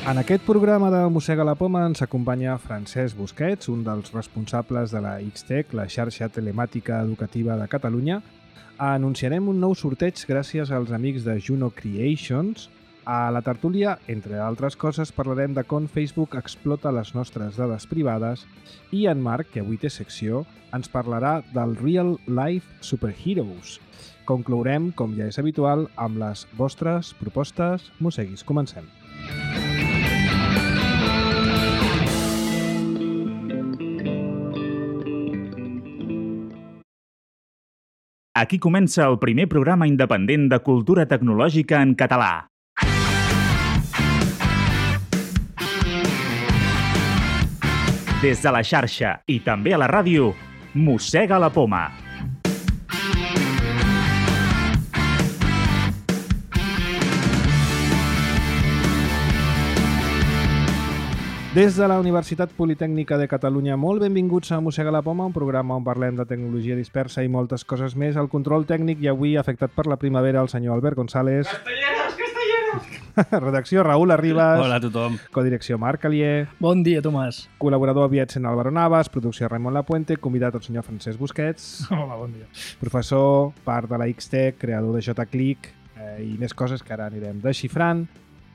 En aquest programa de Mossega la Poma ens acompanya Francesc Busquets, un dels responsables de la Xtec, la xarxa telemàtica educativa de Catalunya. Anunciarem un nou sorteig gràcies als amics de Juno Creations. A la tertúlia, entre altres coses, parlarem de com Facebook explota les nostres dades privades i en Marc, que avui té secció, ens parlarà del Real Life Superheroes. Conclourem, com ja és habitual, amb les vostres propostes. Mosseguis, comencem. Aquí comença el primer programa independent de cultura tecnològica en català. Des de la xarxa i també a la ràdio, Mossega la Poma. Des de la Universitat Politècnica de Catalunya, molt benvinguts a Mossega la Poma, un programa on parlem de tecnologia dispersa i moltes coses més. El control tècnic i avui afectat per la primavera el senyor Albert González. Castelleros! Redacció Raül Arribas. Hola a tothom. Codirecció Marc Alier. Bon dia, Tomàs. Col·laborador aviat sent Álvaro Navas. Producció Raimon Lapuente. Convidat el senyor Francesc Busquets. Hola, bon dia. Professor, part de la Xtec, creador de JClick i més coses que ara anirem desxifrant.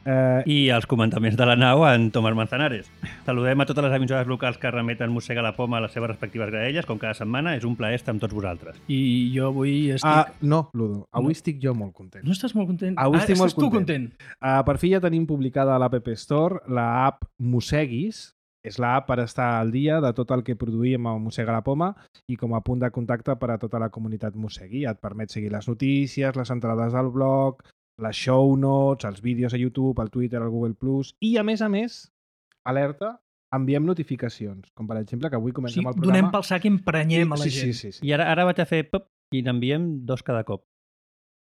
I els comentaments de la nau en Tomàs Manzanares. Saludem a totes les emissores locals que remeten Mossega la Poma a les seves respectives graelles, com cada setmana. És un plaer estar amb tots vosaltres. I jo avui estic... No, Ludo. Avui estic jo molt content. No estàs molt content? Avui estic molt estàs tu content? Per fi ja tenim publicada a l'App Store l'app Mosseguis. És l'app per estar al dia de tot el que produïm a Mossega la Poma i com a punt de contacte per a tota la comunitat Mossegui. Et permet seguir les notícies, les entrades al blog, les show notes, els vídeos a YouTube, al Twitter, al Google+, i a més, alerta, enviem notificacions, com per exemple que avui comencem el programa. Donem pel sac i emprenyem a la gent. Sí. I ara vaig a fer pop i n'enviem 2 cada cop.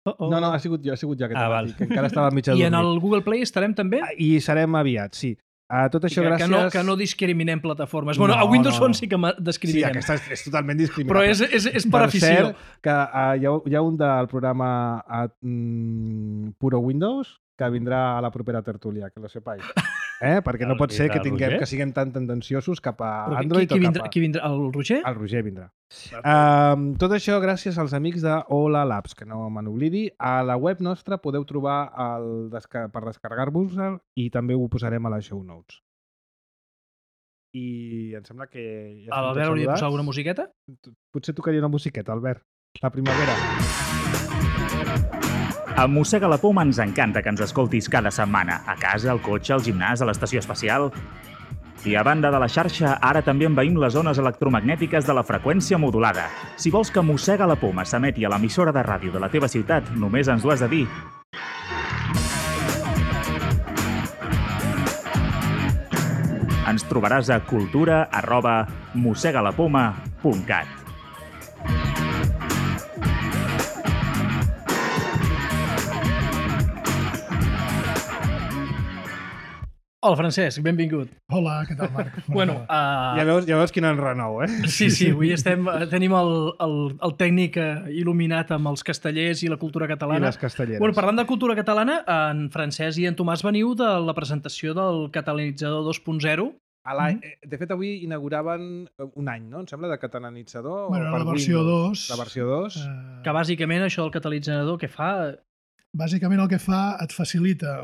No, ha sigut jo aquest val. que encara estava mig adormit. I en el Google Play estarem també? I serem aviat, sí. Tot això gràcies... Que no discriminem plataformes. Bueno, a Windows Phone sí que discriminem. Sí, aquesta és totalment discriminable. Però és per afició. Per cert, que hi ha un del programa Puro Windows que vindrà a la propera tertúlia, que lo sepais. Perquè no pot ser que siguem tan tendenciosos cap a Android o cap a... Qui vindrà? El Roger? El Roger vindrà. Tot això gràcies als amics de Hola Labs, que no me n'oblidi. A la web nostra podeu trobar per descarregar-vos-el i també ho posarem a les show notes. I em sembla que... Albert hauria de posar alguna musiqueta? Potser tocaria una musiqueta, Albert. La primavera. A Mossega la Poma ens encanta que ens escoltis cada setmana, a casa, al cotxe, al gimnàs, a l'estació espacial. I a banda de la xarxa, ara també envaïm les zones electromagnètiques de la freqüència modulada. Si vols que Mossega la Poma s'emeti a l'emissora de ràdio de la teva ciutat, només ens ho has de dir. Ens trobaràs a cultura@mossegalapoma.cat. Hola, Francesc, benvingut. Hola, què tal, Marc? Bueno, Ja veus quin enrenou, Sí, avui tenim el tècnic il·luminat amb els castellers i la cultura catalana. I les castelleres. Bueno, parlant de cultura catalana, en Francesc i en Tomàs veniu de la presentació del Catalanitzador 2.0. De fet, avui inauguraven un any, no? Em sembla, de catalanitzador. Bueno, la versió 2. La versió 2. Que bàsicament això del catalitzador que fa... Bàsicament el que fa et facilita,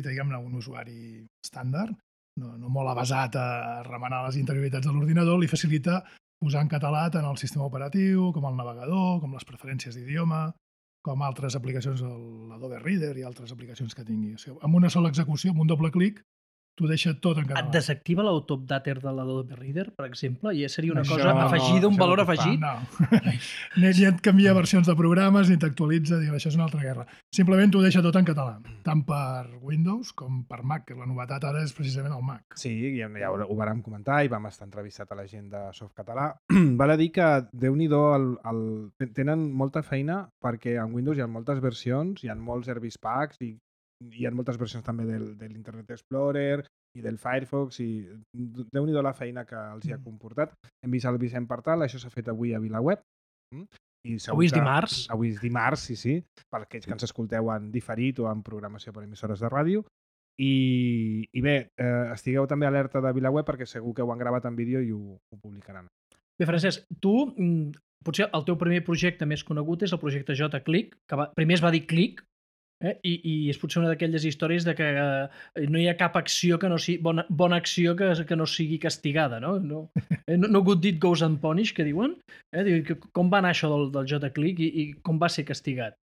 diguem-ne, un usuari estàndard, no molt avasat a remenar les interioritats de l'ordinador, li facilita posar en català tant el sistema operatiu, com el navegador, com les preferències d'idioma, com altres aplicacions, l'Adobe Reader i altres aplicacions que tingui. O sigui, amb una sola execució, amb un doble clic, t'ho deixa tot en català. Et desactiva l'autopdater de l'Adobe Reader, per exemple? I seria una cosa afegida, un valor afegit? No. Ni et canvia versions de programes, ni t'actualitza, això és una altra guerra. Simplement t'ho deixa tot en català, tant per Windows com per Mac, que la novetat ara és precisament el Mac. Sí, ja ho vàrem comentar i vam estar entrevistat a la gent de Softcatalà. Val a dir que, Déu-n'hi-do, tenen molta feina perquè en Windows hi ha moltes versions, hi ha molts service packs i hi ha moltes versions també de l'Internet Explorer i del Firefox i Déu-n'hi-do la feina que els hi ha comportat. Hem vist el Vicent Partal, això s'ha fet avui a VilaWeb. Avui és dimarts. Avui és dimarts, sí. Per aquells que ens escolteu en diferit o en programació per emissores de ràdio. I bé, estigueu també alerta de VilaWeb perquè segur que ho han gravat en vídeo i ho publicaran. Bé, Francesc, tu, potser el teu primer projecte més conegut és el projecte JClick, que primer es va dir Click, i és potser una d'aquelles històries de que no hi ha cap acció que no sigui bona acció que no sigui castigada, no? No good deed goes unpunished, que diuen. Com va anar això del JClick i com va ser castigat?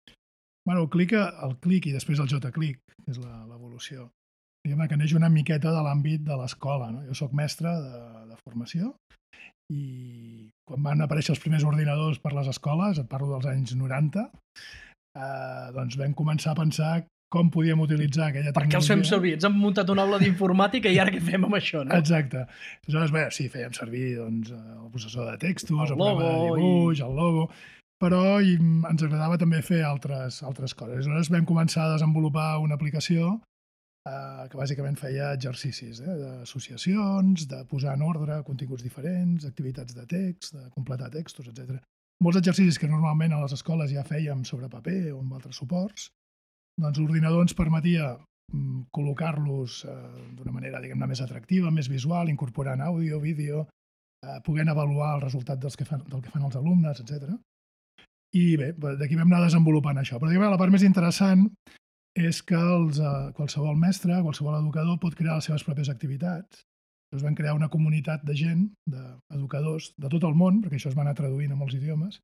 Bueno, el click i després el JClick, que és l'evolució. Diguem-ne que neix una miqueta de l'àmbit de l'escola. No? Jo soc mestre de formació i quan van aparèixer els primers ordinadors per les escoles, et parlo dels anys 90, doncs vam començar a pensar com podíem utilitzar aquella tecnologia. Per què els fem servir? Ens han muntat una aula d'informàtica i ara què fem amb això, no? Exacte. Aleshores, bé, sí, fèiem servir doncs, el processor de textos, el logo, de dibuix, el logo, però ens agradava també fer altres coses. Aleshores vam començar a desenvolupar una aplicació que bàsicament feia exercicis d'associacions, de posar en ordre continguts diferents, activitats de text, de completar textos, etc. Molts exercicis que normalment a les escoles ja fèiem sobre paper o amb altres suports, doncs l'ordinador ens permetia col·locar-los d'una manera, diguem-ne, més atractiva, més visual, incorporant àudio, vídeo, podent avaluar el resultat del que fan els alumnes, etc. I bé, d'aquí vam anar desenvolupant això. Però la part més interessant és que qualsevol mestre, qualsevol educador pot crear les seves pròpies activitats. Llavors vam crear una comunitat de gent, d'educadors de tot el món, perquè això es va anar traduint a molts idiomes,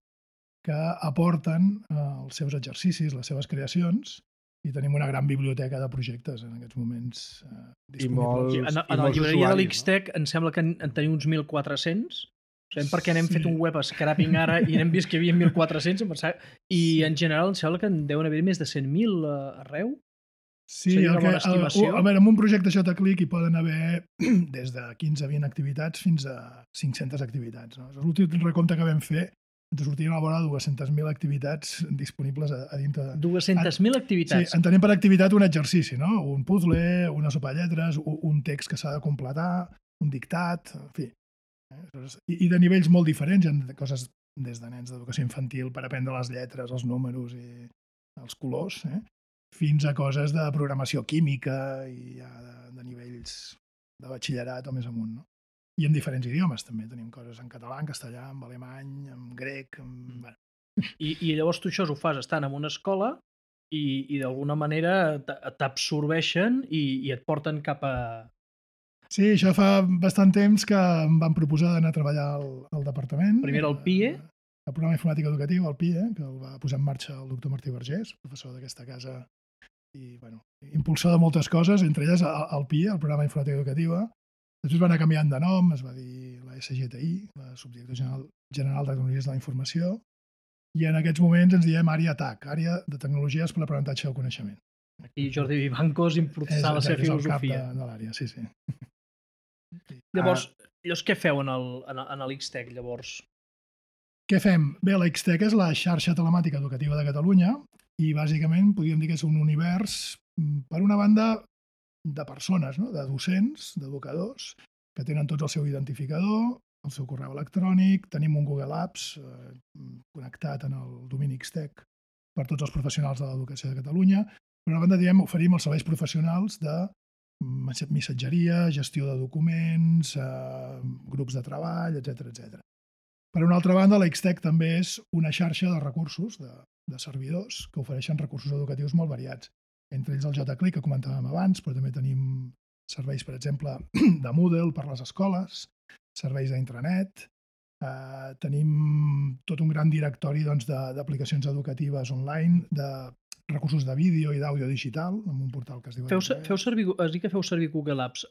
que aporten els seus exercicis, les seves creacions, i tenim una gran biblioteca de projectes en aquests moments disponibles. A la llibreria de l'Xtec em sembla que en tenim uns 1.400, perquè n'hem fet un web scrapping ara i n'hem vist que hi havia 1.400 i en general em sembla que en deuen haver més de 100.000 arreu. Sí, amb un projecte JClick hi poden haver des de 15 a 20 activitats fins a 500 activitats. No? L'últim recompte que vam fer ens sortien a la vora de 200.000 activitats disponibles a dintre de... 200.000 activitats? Sí, entenem per activitat un exercici, no? Un puzzle, una sopa de lletres, un text que s'ha de completar, un dictat, en fi. I de nivells molt diferents, hi ha coses des de nens d'educació infantil per aprendre les lletres, els números i els colors, fins a coses de programació química i ja de nivells de batxillerat o més amunt. No? I en diferents idiomes també. Tenim coses en català, en castellà, en alemany, en grec... Bueno. I llavors tu això ho fas estant en una escola i d'alguna manera t'absorbeixen i et porten cap a... Sí, això fa bastant temps que em van proposar d'anar a treballar al departament. Primer el PIE. El programa informàtic educatiu, el PIE, que el va posar en marxa el doctor Martí Vergés, professor d'aquesta casa i impulsor de moltes coses, entre elles el PIE, el programa informàtic educatiu. Després va anar canviant de nom, es va dir la SGTI, la Subdirecció General de Tecnologies de la Informació, i en aquests moments ens diem àrea TAC, àrea de tecnologies per l'aprenentatge del coneixement. I Jordi Vivancos impulsar la seva filosofia. És el cap de l'àrea, sí. Llavors, què feu en l'Xtec, llavors? Què fem? Bé, l'Xtec és la xarxa telemàtica educativa de Catalunya i bàsicament podríem dir que és un univers, per una banda, de persones, no? De docents, d'educadors, que tenen tots el seu identificador, el seu correu electrònic, tenim un Google Apps connectat en el domini Xtec per tots els professionals de l'educació de Catalunya. Per una banda, oferim els serveis professionals de missatgeria, gestió de documents, grups de treball, etc. Per una altra banda, l'Xtec també és una xarxa de recursos, de servidors, que ofereixen recursos educatius molt variats. Entre ells el JClick, que comentàvem abans, però també tenim serveis, per exemple, de Moodle per les escoles, serveis d'intranet, tenim tot un gran directori d'aplicacions educatives online, de recursos de vídeo i d'àudio digital, amb un portal que es diu... Has dit que feu servir Google Apps.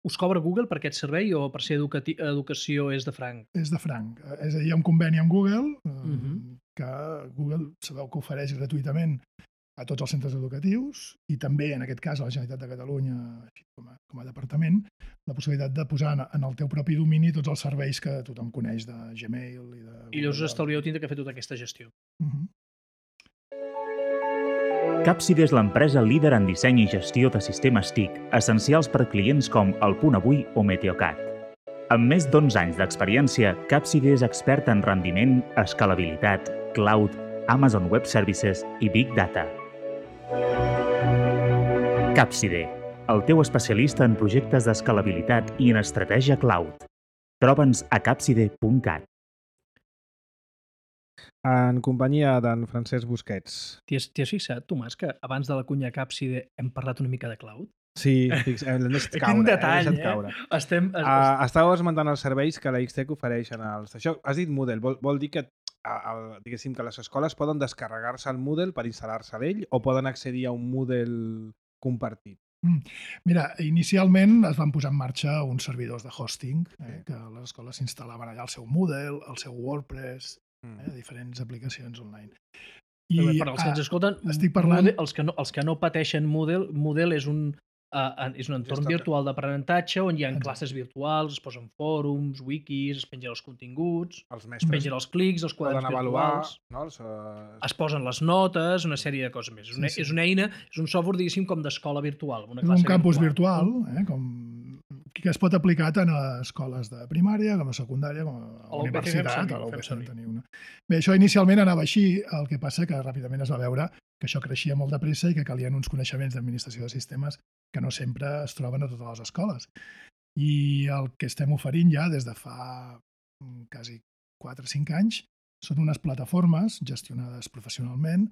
Us cobra Google per aquest servei o per ser educació és de franc? És de franc. És a dir, hi ha un conveni amb Google, que Google sabeu que ofereix gratuïtament a tots els centres educatius i també, en aquest cas, a la Generalitat de Catalunya, com a departament, la possibilitat de posar en el teu propi domini tots els serveis que tothom coneix de Gmail i de... I llavors estalvieu tindre que fer tota aquesta gestió. Capside és l'empresa líder en disseny i gestió de sistemes TIC, essencials per clients com El Punt Avui o Meteocat. Amb més d'11 anys d'experiència, Capside és expert en rendiment, escalabilitat, cloud, Amazon Web Services i Big Data. Capside, el teu especialista en projectes d'escalabilitat i en estratègia cloud. Troba'ns a capside.cat. En companyia d'en Francesc Busquets. T'hi has fixat, Tomàs, que abans de la cunya Capside hem parlat una mica de cloud? Sí, l'hem deixat caure. Quin detall, l'hem deixat caure. Estàveu esmentant els serveis que la Xtec ofereixen als... Això, has dit Moodle, vol dir que diguéssim que les escoles poden descarregar-se el Moodle per instal·lar-se a ell o poden accedir a un Moodle compartit? Mira, inicialment es van posar en marxa uns servidors de hosting, que les escoles s'instal·laven allà el seu Moodle, el seu WordPress, diferents aplicacions online. Per als que ens escolten, estic parlant... els que no pateixen Moodle és un entorn virtual d'aprenentatge on hi ha classes virtuals, es posen fòrums, wikis, es pengen els continguts, es pengen els clics, els quaderns virtuals, es posen les notes, una sèrie de coses més. És una eina, és un software, diguéssim, com d'escola virtual. És un campus virtual, que es pot aplicar tant a escoles de primària com a secundària com a universitat. A l'UPC en teniu una. Bé, això inicialment anava així, el que passa que ràpidament es va veure que això creixia molt de pressa i que calien uns coneixements d'administració de sistemes que no sempre es troben a totes les escoles. I el que estem oferint ja des de fa quasi 4 o 5 anys són unes plataformes gestionades professionalment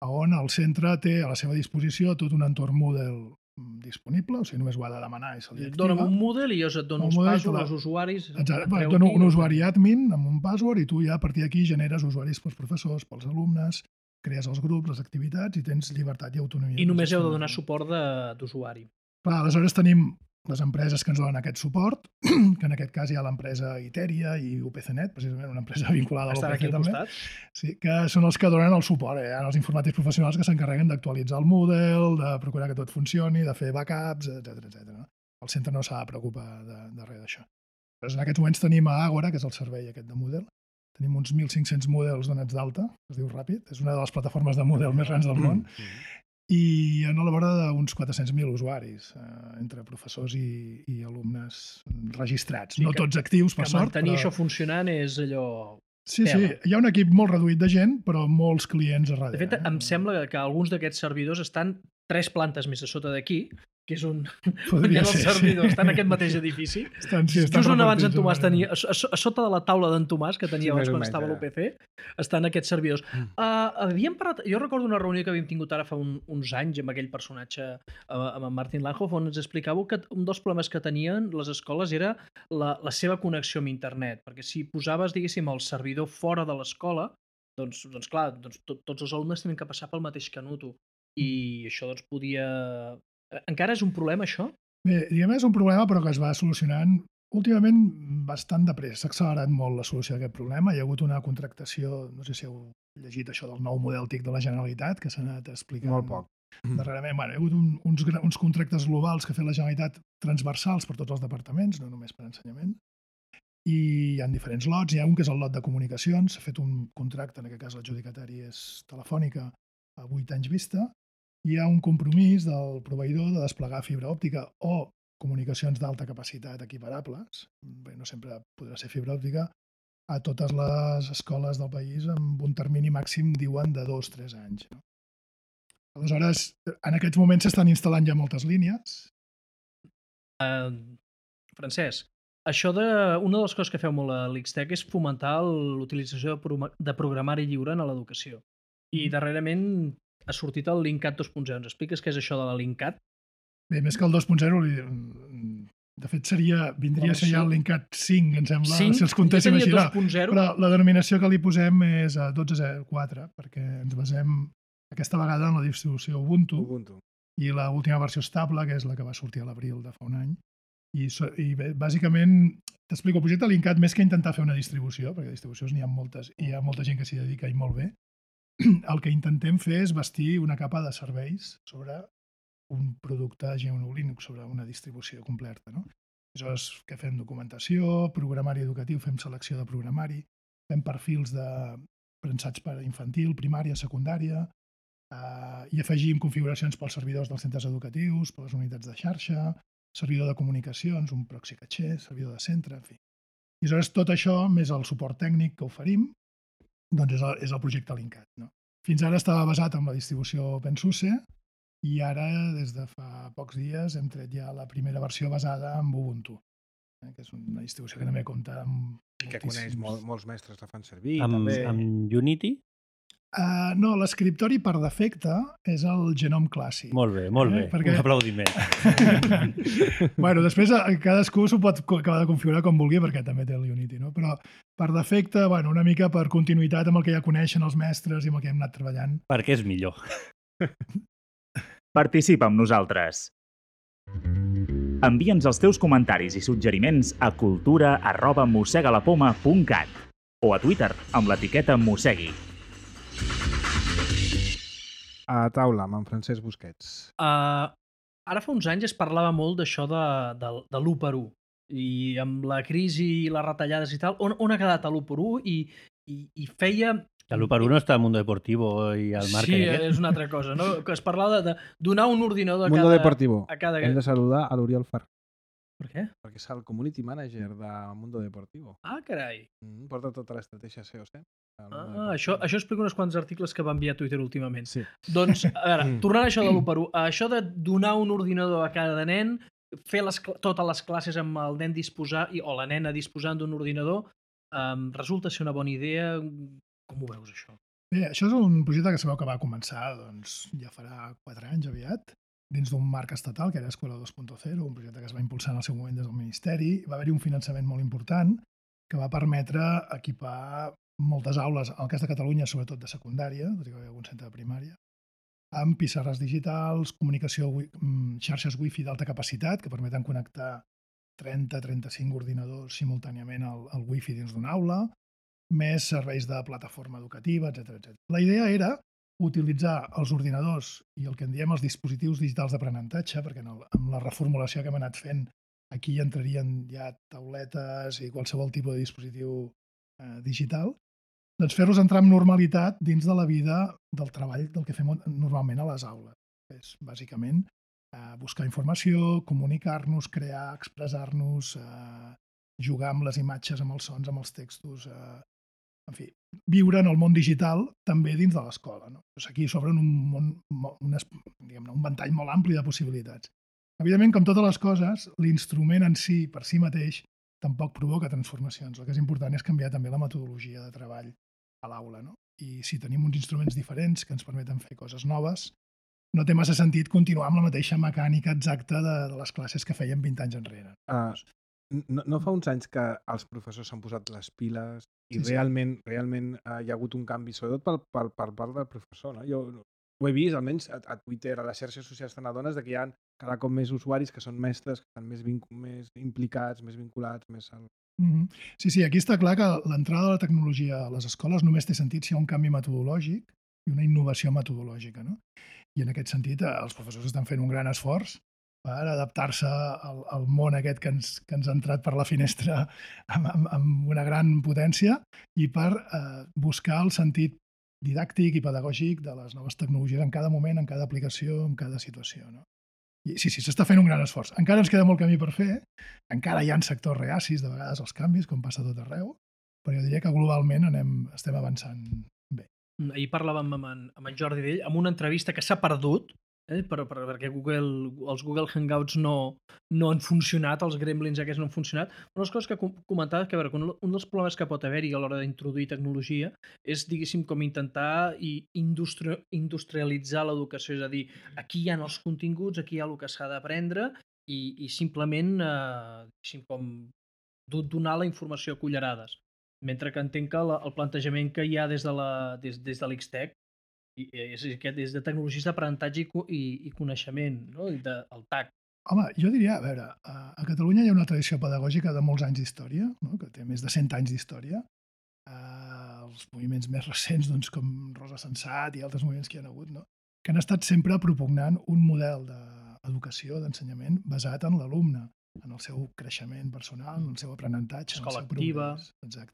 on el centre té a la seva disposició tot un entorn Moodle disponible, o sigui, només ho ha de demanar i se li activa. Dóna'm un Moodle i jo et dono uns passwords als usuaris. Et dono un usuari admin amb un password i tu ja a partir d'aquí generes usuaris pels professors, pels alumnes, crees els grups, les activitats i tens llibertat i autonomia. I només heu de donar suport d'usuari. Clar, aleshores tenim les empreses que ens donen aquest suport, que en aquest cas hi ha l'empresa Iteria i UPCnet, precisament una empresa vinculada a l'UPC també, sí, que són els que donen el suport. Hi ha els informàtics professionals que s'encarreguen d'actualitzar el Moodle, de procurar que tot funcioni, de fer backups, etc. El centre no s'ha de preocupar de res d'això. Però en aquests moments tenim a Agora, que és el servei aquest de Moodle. Tenim uns 1.500 Moodles donats d'alta, es diu Ràpid, és una de les plataformes de Moodle més grans del món, i en la vora d'uns 400.000 usuaris, entre professors i alumnes registrats. No tots actius, per sort. Mantenir això funcionant és allò... Sí, hi ha un equip molt reduït de gent, però molts clients a darrere. De fet, em sembla que alguns d'aquests servidors estan 3 plantes més a sota d'aquí, que és on hi ha els servidors, estan en aquest mateix edifici. Just on abans en Tomàs tenia, a sota de la taula d'en Tomàs, que tenia abans quan estava a l'UPC, estan aquests servidors. Havíem parlat, jo recordo una reunió que havíem tingut ara fa uns anys amb aquell personatge, amb en Martin Langhoff, on ens explicàveu que un dels problemes que tenien les escoles era la seva connexió amb internet, perquè si posaves, diguéssim, el servidor fora de l'escola, doncs clar, tots els alumnes tenen que passar pel mateix canuto. I això doncs podia... Encara és un problema, això? Bé, diguem, és un problema, però que es va solucionant últimament bastant de pressa. S'ha accelerat molt la solució d'aquest problema. Hi ha hagut una contractació, no sé si heu llegit això del nou model TIC de la Generalitat, que s'ha anat explicant molt poc. Darrerament. Hi ha hagut uns contractes globals que ha fet la Generalitat transversals per tots els departaments, no només per ensenyament. I hi ha diferents lots. Hi ha un que és el lot de comunicacions. S'ha fet un contracte, en aquest cas l'adjudicatari és Telefònica, a 8 anys vista. Hi ha un compromís del proveïdor de desplegar fibra òptica o comunicacions d'alta capacitat equiparables, bé, no sempre podrà ser fibra òptica, a totes les escoles del país amb un termini màxim, diuen, de 2 o 3 anys. Aleshores, en aquests moments s'estan instal·lant ja moltes línies. Francesc, una de les coses que feu molt a l'Xtec és fomentar l'utilització de programari lliure en l'educació. I darrerament ha sortit el Linkat 2.0. Ens expliques què és això de la Linkat? Bé, més que el 2.0, de fet vindria a ser ja el Linkat 5, em sembla, si els comptéssim així. Però la denominació que li posem és 12.04, perquè ens basem aquesta vegada en la distribució Ubuntu. I l'última versió estable, que és la que va sortir a l'abril de fa un any. I bé, bàsicament, t'explico, el projecte Linkat, més que intentar fer una distribució, perquè distribucions n'hi ha moltes i hi ha molta gent que s'hi dedica i molt bé, el que intentem fer és bastir una capa de serveis sobre un producte GNU Linux, sobre una distribució completa. Aleshores, què fem? Documentació, programari educatiu, fem selecció de programari, fem perfils pensats per infantil, primària, secundària, i afegim configuracions pels servidors dels centres educatius, per les unitats de xarxa, servidor de comunicacions, un proxy caché, servidor de centre, en fi. I aleshores tot això, més el suport tècnic que oferim, doncs és el projecte Linkat. Fins ara estava basat en la distribució OpenSUSE, i ara, des de fa pocs dies, hem tret ja la primera versió basada en Ubuntu, que és una distribució que també compta amb I que coneix, moltíssims... molts mestres la fan servir, Amb, també. amb Unity? No, l'escriptori per defecte és el Genome Classic. Molt bé, molt bé. Perquè... Un aplaudiment. Bueno, després cadascú s'ho pot acabar de configurar com vulgui perquè també té el Unity, no? Però per defecte, bueno, una mica per continuïtat amb el que ja coneixen els mestres i amb el que hem anat treballant. Perquè és millor. Participa amb nosaltres. Envia'ns els teus comentaris i suggeriments a cultura@mossegalapoma.cat o a Twitter amb l'etiqueta Mossegui. A taula, amb en Francesc Busquets. Ara fa uns anys es parlava molt d'això de l'1x1 i amb la crisi i les retallades i tal, on ha quedat l'1x1 i feia... L'1x1 està al Mundo Deportivo i al Marca. Sí, és una altra cosa, no? Que es parlava de donar un ordinador Mundo Deportivo. a cada... Hem de saludar a l'Oriol Ferrer, Per què? perquè és el community manager de Mundo Deportivo. Ah, carai. Porta tota l'estratègia SEO-SEM. Això explica uns quants articles que va enviar a Twitter últimament. Sí. Doncs, a veure, tornant a això de l'1x1, això de donar un ordinador a cada nen, fer totes les classes amb el nen o la nena disposant d'un ordinador, resulta ser una bona idea. Com ho veus, això? Bé, això és un projecte que sabeu que va començar, doncs, ja farà 4 anys aviat, dins d'un marc estatal, que era Escola 2.0, un projecte que es va impulsar en el seu moment des del Ministeri. Va haver-hi un finançament molt important que va permetre equipar moltes aules, al cas de Catalunya, sobretot de secundària, tot i que hi havia algun centre de primària, amb pissarres digitals, comunicació, xarxes wifi d'alta capacitat, que permeten connectar 30-35 ordinadors simultàniament al wifi dins d'una aula, més serveis de plataforma educativa, etc. La idea era utilitzar els ordinadors i el que en diem els dispositius digitals d'aprenentatge, perquè amb la reformulació que hem anat fent aquí entrarien ja tauletes i qualsevol tipus de dispositiu digital, doncs fer-los entrar amb normalitat dins de la vida del treball del que fem normalment a les aules. És bàsicament buscar informació, comunicar-nos, crear, expressar-nos, jugar amb les imatges, amb els sons, amb els textos, en fi, viure en el món digital també dins de l'escola. No? Doncs aquí s'obren un ventall molt ampli de possibilitats. Evidentment, com totes les coses, l'instrument en si, per si mateix, tampoc provoca transformacions. El que és important és canviar també la metodologia de treball a l'aula. No? I si tenim uns instruments diferents que ens permeten fer coses noves, no té massa sentit continuar amb la mateixa mecànica exacta de les classes que fèiem 20 anys enrere. No fa uns anys que els professors s'han posat les piles i Sí. realment hi ha hagut un canvi, sobretot per part del professor. No? Jo ho he vist, almenys a Twitter, a les xarxes socials te n'adones que hi ha cada cop més usuaris que són mestres, que estan més implicats, més vinculats, més al... Sí, aquí està clar que l'entrada de la tecnologia a les escoles només té sentit si hi ha un canvi metodològic i una innovació metodològica. No? I en aquest sentit els professors estan fent un gran esforç per adaptar-se al món aquest que ens ha entrat per la finestra amb una gran potència i per buscar el sentit didàctic i pedagògic de les noves tecnologies en cada moment, en cada aplicació, en cada situació. No? I sí, s'està fent un gran esforç. Encara ens queda molt camí per fer, encara hi ha sectors reacis de vegades als canvis, com passa a tot arreu, però jo diria que globalment estem avançant bé. Ahir parlàvem amb en Jordi Vell, amb una entrevista que s'ha perdut, perquè els Google Hangouts no han funcionat, els gremlins aquests no han funcionat. Una de les coses que comentava és que un dels problemes que pot haver-hi a l'hora d'introduir tecnologia és, diguéssim, com intentar industrialitzar l'educació, és a dir, aquí hi ha els continguts, aquí hi ha el que s'ha d'aprendre i simplement, diguéssim, com donar la informació a cullerades. Mentre que entenc que el plantejament que hi ha des de l'X-Tech és des de tecnologies d'aprenentatge i coneixement, no? El TAC. Home, jo diria, a veure, a Catalunya hi ha una tradició pedagògica de molts anys d'història, no? Que té més de 100 anys d'història. Els moviments més recents, doncs, com Rosa Sensat i altres moviments que hi ha hagut, no? Que han estat sempre propugnant un model d'educació, d'ensenyament, basat en l'alumne, en el seu creixement personal, en el seu aprenentatge, Escola en el seu activa. progrés. Exacte.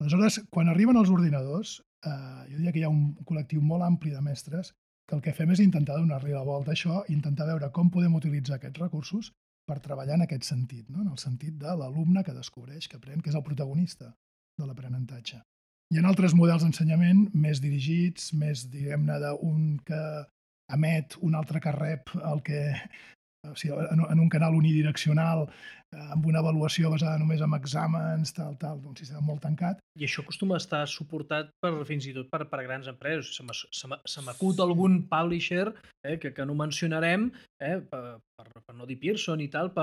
Aleshores, quan arriben els ordinadors, jo diria que hi ha un col·lectiu molt ampli de mestres que el que fem és intentar donar-li la volta a això i intentar veure com podem utilitzar aquests recursos per treballar en aquest sentit, no? En el sentit de l'alumne que descobreix, que aprèn, que és el protagonista de l'aprenentatge. Hi ha altres models d'ensenyament més dirigits, més, diguem-ne, d'un que emet un altre que rep el que... O sigui, en un canal unidireccional, amb una avaluació basada només en exàmens, tal, un sistema molt tancat. I això acostuma a estar suportat fins i tot per grans empreses. Se m'acut algun publisher que no mencionarem, per no dir Pearson i tal,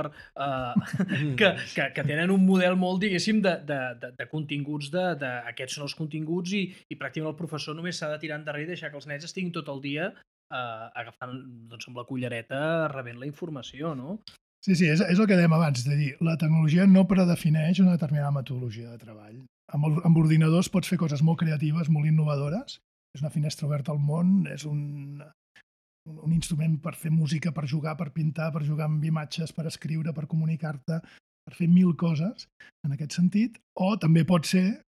que tenen un model molt, diguéssim, de continguts, aquests són els continguts i pràcticament el professor només s'ha de tirar endarrere i deixar que els nens estiguin tot el dia agafant amb la cullereta rebent la informació, no? Sí, és el que dèiem abans, és a dir, la tecnologia no predefineix una determinada metodologia de treball. Amb ordinadors pots fer coses molt creatives, molt innovadores, és una finestra oberta al món, és un instrument per fer música, per jugar, per pintar, per jugar amb imatges, per escriure, per comunicar-te, per fer 1000 coses en aquest sentit, o també pot ser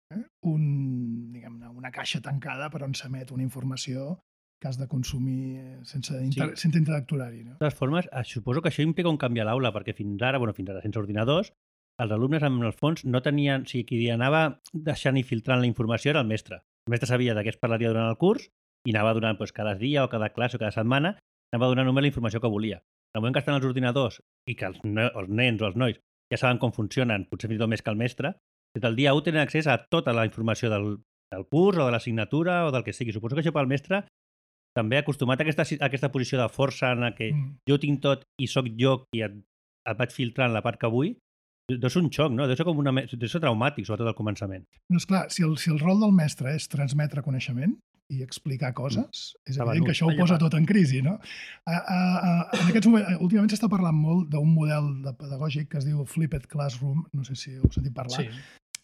una caixa tancada per on s'emet una informació que has de consumir sense interactuar-hi. No? De totes formes, suposo que això implica un canvi a l'aula, perquè fins ara, sense ordinadors, els alumnes, en el fons, no tenien... O sigui, qui anava deixant i filtrant la informació era el mestre. El mestre sabia de què es parlaria durant el curs i anava donant cada dia o cada classe o cada setmana, anava donant només la informació que volia. En el moment que estan els ordinadors i que els nens o els nois ja saben com funcionen, potser fins i tot més que el mestre, des del dia 1 tenen accés a tota la informació del curs o de l'assignatura o del que sigui. Suposo que això pel mestre també acostumat a aquesta posició de força en què jo tinc tot i sóc jo qui et vaig filtrant la part que vull, deu ser un xoc, no? Deu ser traumàtic, sobretot al començament. No, esclar, si el rol del mestre és transmetre coneixement i explicar coses, és evident que això ho posa tot en crisi, no? En aquests moments, últimament s'està parlant molt d'un model pedagògic que es diu Flipped Classroom, no sé si heu sentit parlar,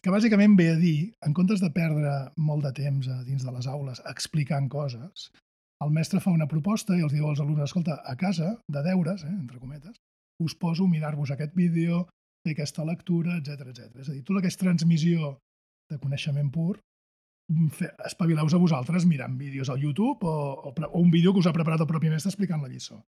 que bàsicament ve a dir, en comptes de perdre molt de temps dins de les aules explicant coses, el mestre fa una proposta i els diu als alumnes, escolta, a casa, de deures, entre cometes, us poso a mirar-vos aquest vídeo, fer aquesta lectura, etc. És a dir, tota aquesta transmissió de coneixement pur, espavileu-vos a vosaltres mirant vídeos al YouTube o un vídeo que us ha preparat el propi mestre explicant la lliçó.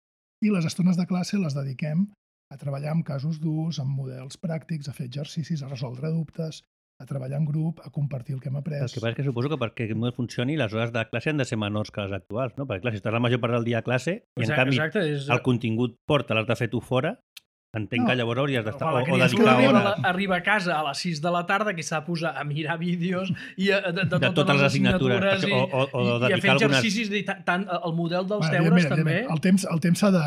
I les estones de classe les dediquem a treballar amb casos durs, amb models pràctics, a fer exercicis, a resoldre dubtes, a treballar en grup, a compartir el que hem après. El que passa és que suposo que perquè aquest model funcioni, les hores de classe han de ser menors que les actuals, no? Perquè, clar, si estàs la major part del dia a classe i, en canvi, el contingut porta, l'has de fer tu fora, entenc que llavors hauries d'estar o dedicar hores. Arriba a casa a les 6 de la tarda, que s'ha de posar a mirar vídeos i de totes les assignatures o i a fer exercicis, tant el model dels deures també. El temps s'ha de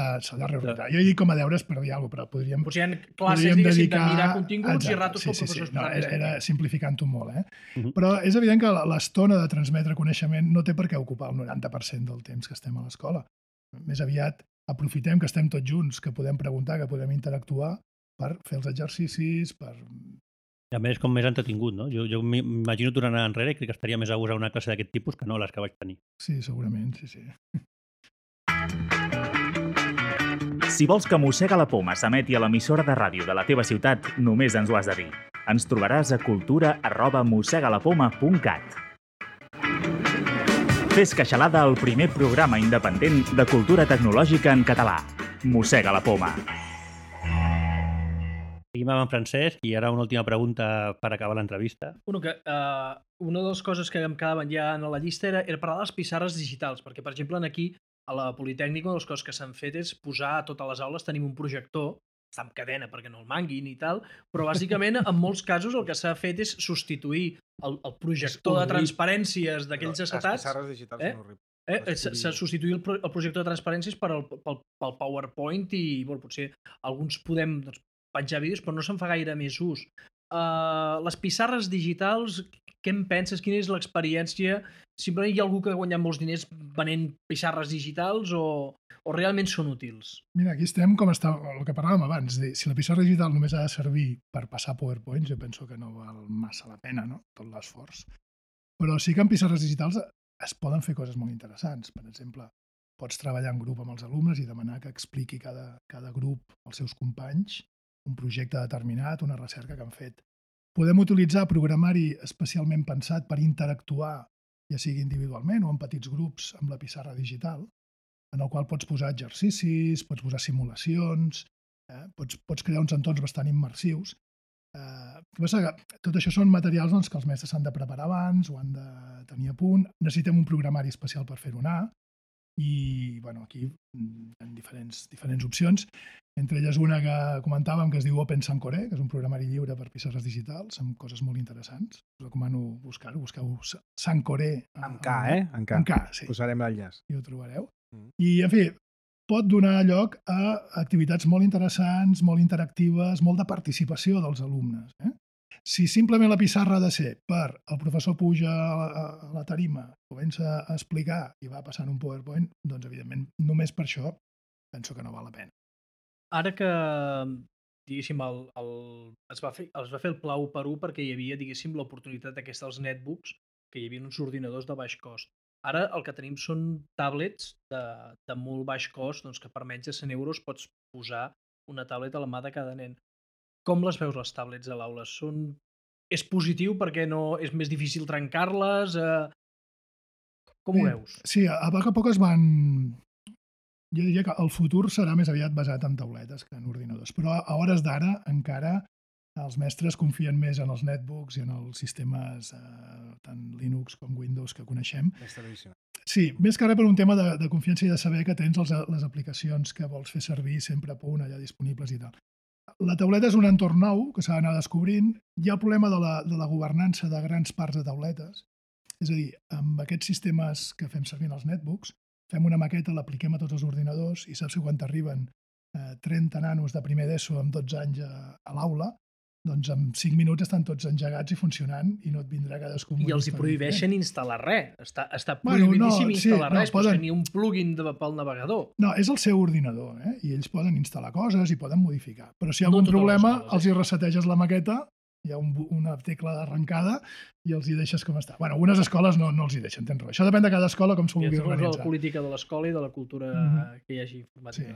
reorientar. Jo he dit com a deures per dir alguna cosa, però podríem... Potser hi ha classes, diguéssim, de mirar continguts i ratos com professors. Era simplificant-ho molt, Però és evident que l'estona de transmetre coneixement no té per què ocupar el 90% del temps que estem a l'escola. Més aviat aprofitem que estem tots junts, que podem preguntar, que podem interactuar per fer els exercicis, per... I a més, com més entretingut, no? Jo m'imagino tornant enrere i crec que estaria més a gust a una classe d'aquest tipus que no les que vaig tenir. Sí, segurament, sí. Si vols que Mossega la Poma s'emeti a l'emissora de ràdio de la teva ciutat, només ens ho has de dir. Ens trobaràs a cultura@mossegalapoma.cat. Fes Queixalada, el primer programa independent de cultura tecnològica en català. Mossega la Poma. Seguim amb en Francesc i ara una última pregunta per acabar l'entrevista. Una de les coses que em quedaven ja en la llista era parlar de les pissarres digitals, perquè, per exemple, aquí a la Politècnica una de les coses que s'han fet és posar a totes les aules, tenim un projector, està amb cadena perquè no el manguin i tal, però bàsicament en molts casos el que s'ha fet és substituir el projector de transparències d'aquells acetats. Les pissarres digitals són horribles. S'ha substituït el projector de transparències pel PowerPoint i potser alguns podem penjar vídeos, però no se'n fa gaire més ús. Les pissarres digitals, què en penses? Quina és l'experiència? Simplement hi ha algú que ha guanyat molts diners venent pissarres digitals o realment són útils? Mira, aquí estem com està el que parlàvem abans. Si la pissarra digital només ha de servir per passar PowerPoint, jo penso que no val massa la pena, no? Tot l'esforç. Però sí que en pissarres digitals es poden fer coses molt interessants. Per exemple, pots treballar en grup amb els alumnes i demanar que expliqui cada grup als seus companys un projecte determinat, una recerca que han fet. Podem utilitzar programari especialment pensat per interactuar, ja sigui individualment o en petits grups, amb la pissarra digital, en el qual pots posar exercicis, pots posar simulacions, pots crear uns entorns bastant immersius. Tot això són materials que els mestres s'han de preparar abans o han de tenir a punt. Necessitem un programari especial per fer-ho anar. i aquí hi ha diferents opcions. Entre elles una que comentàvem que es diu Open Sancore, que és un programari lliure per pissarres digitals amb coses molt interessants. Us recomano buscar-ho. Busqueu Sancore. Amb K, Amb K. Amb K, sí. Posarem l'enllaç. I ho trobareu. I, en fi, pot donar lloc a activitats molt interessants, molt interactives, molt de participació dels alumnes. Si simplement la pissarra ha de ser per el professor puja a la tarima, comença a explicar i va passant un PowerPoint, doncs, evidentment, només per això penso que no val la pena. Ara que, diguéssim, es va fer el pla 1x1 perquè hi havia, diguéssim, l'oportunitat aquesta dels netbooks, que hi havia uns ordinadors de baix cost. Ara el que tenim són tablets de molt baix cost, doncs que per menys de 100 euros pots posar una tablet a la mà de cada nen. Com les veus, les tablets a l'aula? És positiu perquè no és més difícil trencar-les? Com ho veus? Sí, a poc a poc es van... Jo diria que el futur serà més aviat basat en tauletes que en ordinadors, però a hores d'ara encara els mestres confien més en els netbooks i en els sistemes tant Linux com Windows que coneixem. Sí, més que res per un tema de confiança i de saber que tens les aplicacions que vols fer servir sempre a punt, allà disponibles i tal. La tauleta és un entorn nou que s'ha d'anar descobrint. Hi ha el problema de la governança de grans parts de tauletes. És a dir, amb aquests sistemes que fem servir en els netbooks, fem una maqueta, l'apliquem a tots els ordinadors i saps que quan t'arriben 30 nanos de primer d'ESO amb 12 anys a l'aula, doncs en 5 minuts estan tots engegats i funcionant i no et vindrà cadascú... I els hi prohibeixen instal·lar res. Està prohibidíssim instal·lar res, pots tenir un plugin pel navegador. No, és el seu ordinador, i ells poden instal·lar coses i poden modificar. Però si hi ha algun problema, els hi reseteges la maqueta, hi ha una tecla d'arrencada i els hi deixes com està. Bueno, algunes escoles no els hi deixen, tens raó. Això depèn de cada escola com s'ho vulgui organitzar. I la política de l'escola i de la cultura que hi hagi informàtica.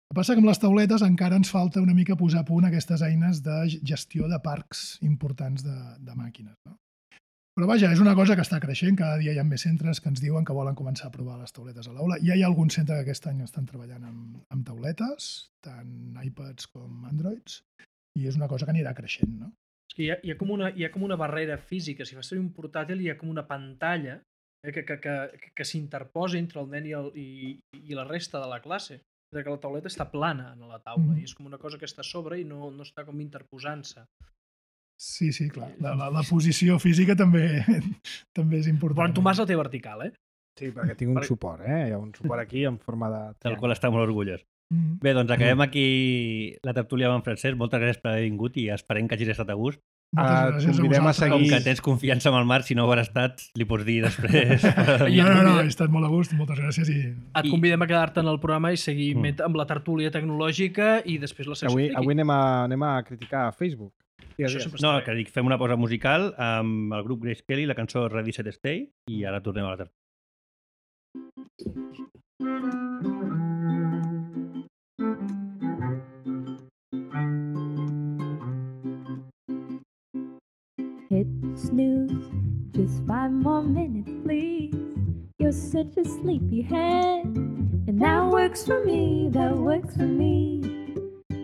El que passa que amb les tauletes encara ens falta una mica posar a punt aquestes eines de gestió de parcs importants de màquines. No? Però vaja, és una cosa que està creixent, cada dia hi ha més centres que ens diuen que volen començar a provar les tauletes a l'aula. Ja hi ha algun centre que aquest any estan treballant amb tauletes, tant iPads com Androids, i és una cosa que anirà creixent. No? És que hi ha com una barrera física. Si fas servir un portàtil hi ha com una pantalla que s'interposa entre el nen i la resta de la classe. Que la tauleta està plana a la taula i és com una cosa que està a sobre i no està com interposant-se. Sí, clar. La posició física també és important. Però en Tomàs la té vertical, Sí, perquè tinc un suport, Hi ha un suport aquí en forma de... Del qual està molt orgullós. Bé, doncs acabem aquí la tertúlia amb en Francesc. Moltes gràcies per haver vingut i esperem que hagis estat a gust. Convidem a seguir... Com que tens confiança amb el Marc, si no ho has estat, li pots dir després. No, he estat molt a gust, moltes gràcies. Et convidem a quedar-te en el programa i seguir amb la tertúlia tecnològica i després la secció friki. Avui anem a criticar Facebook. No, que dic, fem una pausa musical amb el grup Grace Kelly, la cançó Ready, Set, Stay, i ara tornem a la tertúlia. Hit snooze, just 5 more minutes, please. You're such a sleepyhead, and that works for me, that works for me.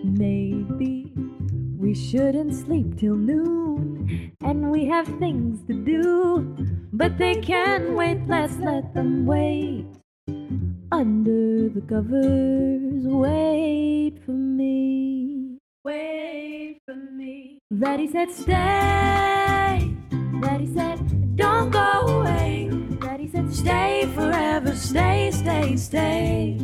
Maybe we shouldn't sleep till noon, and we have things to do, but they can't wait, let's let them wait. Under the covers, wait for me, wait for me. Ready, set, stay. Ready, set, don't go away. Ready, set, stay forever. Stay, stay, stay.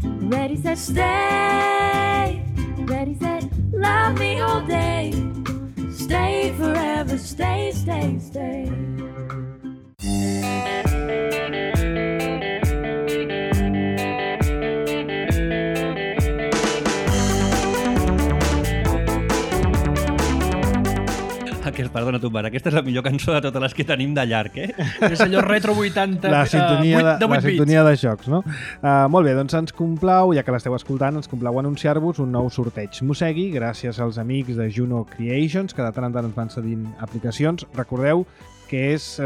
Ready, set, stay. Ready, set, love me all day. Stay forever. Stay, stay, stay. Perdona, Tomàs, aquesta és la millor cançó de totes les que tenim de llarg, És allò retro 80, la sintonia de jocs, no? Molt bé, doncs ens complau, ja que l'esteu escoltant, ens complau anunciar-vos un nou sorteig Mossegui, gràcies als amics de Juno Creations, que de tant en tant ens van cedint aplicacions. Recordeu que és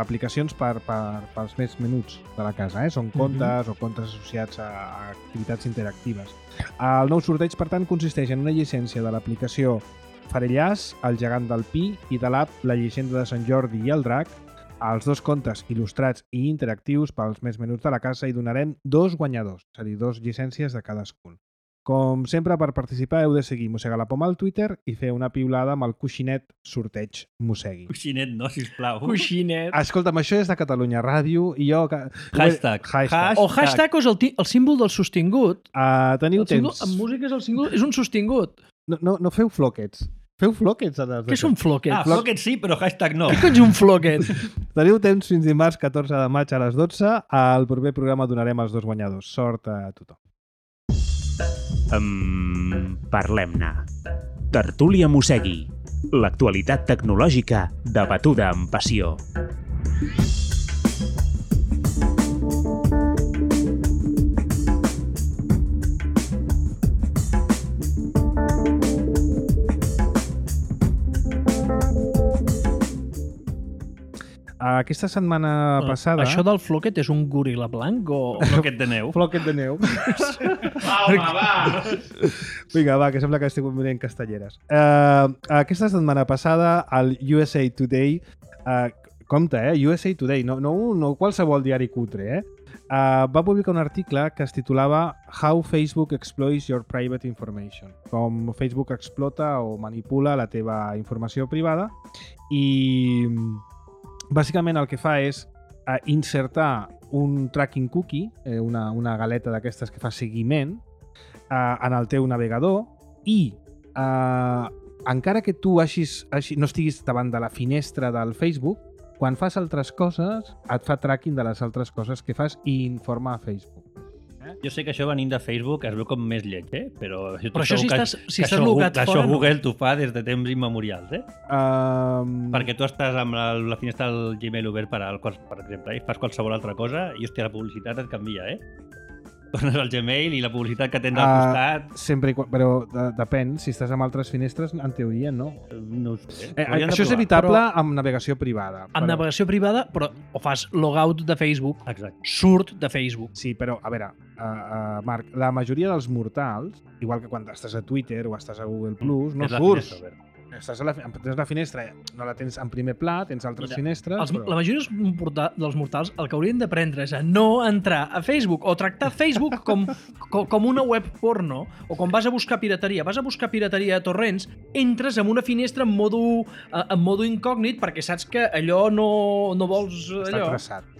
aplicacions pels més menuts de la casa, Són comptes o comptes associats a activitats interactives. El nou sorteig, per tant, consisteix en una llicència de l'aplicació Farellàs, el gegant del Pi i de l'app La llegenda de Sant Jordi i el Drac els 2 contes il·lustrats i interactius pels més menuts de la casa i donarem 2 guanyadors, és a dir, 2 llicències de cadascun. Com sempre, per participar heu de seguir Mossega la Poma al Twitter i fer una piulada amb el coixinet sorteig Mossegui. Coixinet, no, sisplau. Coixinet. Escolta'm, això és de Catalunya Ràdio i jo... Hashtag. O hashtag és el símbol del sostingut. Teniu El símbol, temps. en música és el símbol, és un sostingut. No feu floquets. Feu floquets. Què són floquets? Floquet sí, però hashtag no. Què cony és un floquet? Teniu temps fins dimarts 14 de maig a les 12. Al proper programa donarem els 2 guanyadors. Sort a tothom. Parlem-ne. Tertúlia Mossegui. L'actualitat tecnològica debatuda amb passió. Aquesta setmana passada... Això del floquet és un goril·la blanc o... Floquet de neu. Floquet de neu. Home, va! Vinga, va, que sembla que estic mirant castelleres. Aquesta setmana passada, el USA Today... compte, USA Today, no qualsevol diari cutre, va publicar un article que es titulava How Facebook Exploits Your Private Information. Com Facebook explota o manipula la teva informació privada i... Bàsicament el que fa és insertar un tracking cookie, una galeta d'aquestes que fa seguiment, en el teu navegador i encara que tu no estiguis davant de la finestra del Facebook, quan fas altres coses et fa tracking de les altres coses que fas i informa a Facebook. Jo sé que això venint de Facebook es veu com més lleig, però... Però això si estàs logat fora... Això Google t'ho fa des de temps immemorials, Perquè tu estàs amb la finestra del Gmail obert per exemple, i fas qualsevol altra cosa i, hòstia, la publicitat et canvia, Tornes al Gmail i la publicitat que tens al costat... Sempre, però depèn, si estàs amb altres finestres, en teoria no. No ho sé. Això és evitable amb navegació privada. Amb navegació privada, però o fas logout de Facebook, Exacte. surt de Facebook. Sí, però, a veure, Marc, la majoria dels mortals, igual que quan estàs a Twitter o estàs a Google+, no surts. Tens la finestra, no la tens en primer pla, tens altres finestres... La majoria dels mortals el que haurien d'aprendre és a no entrar a Facebook o tractar Facebook com una web porno, o quan vas a buscar pirateria a torrents, entres en una finestra en modo incògnit perquè saps que allò no vols... Està traçat.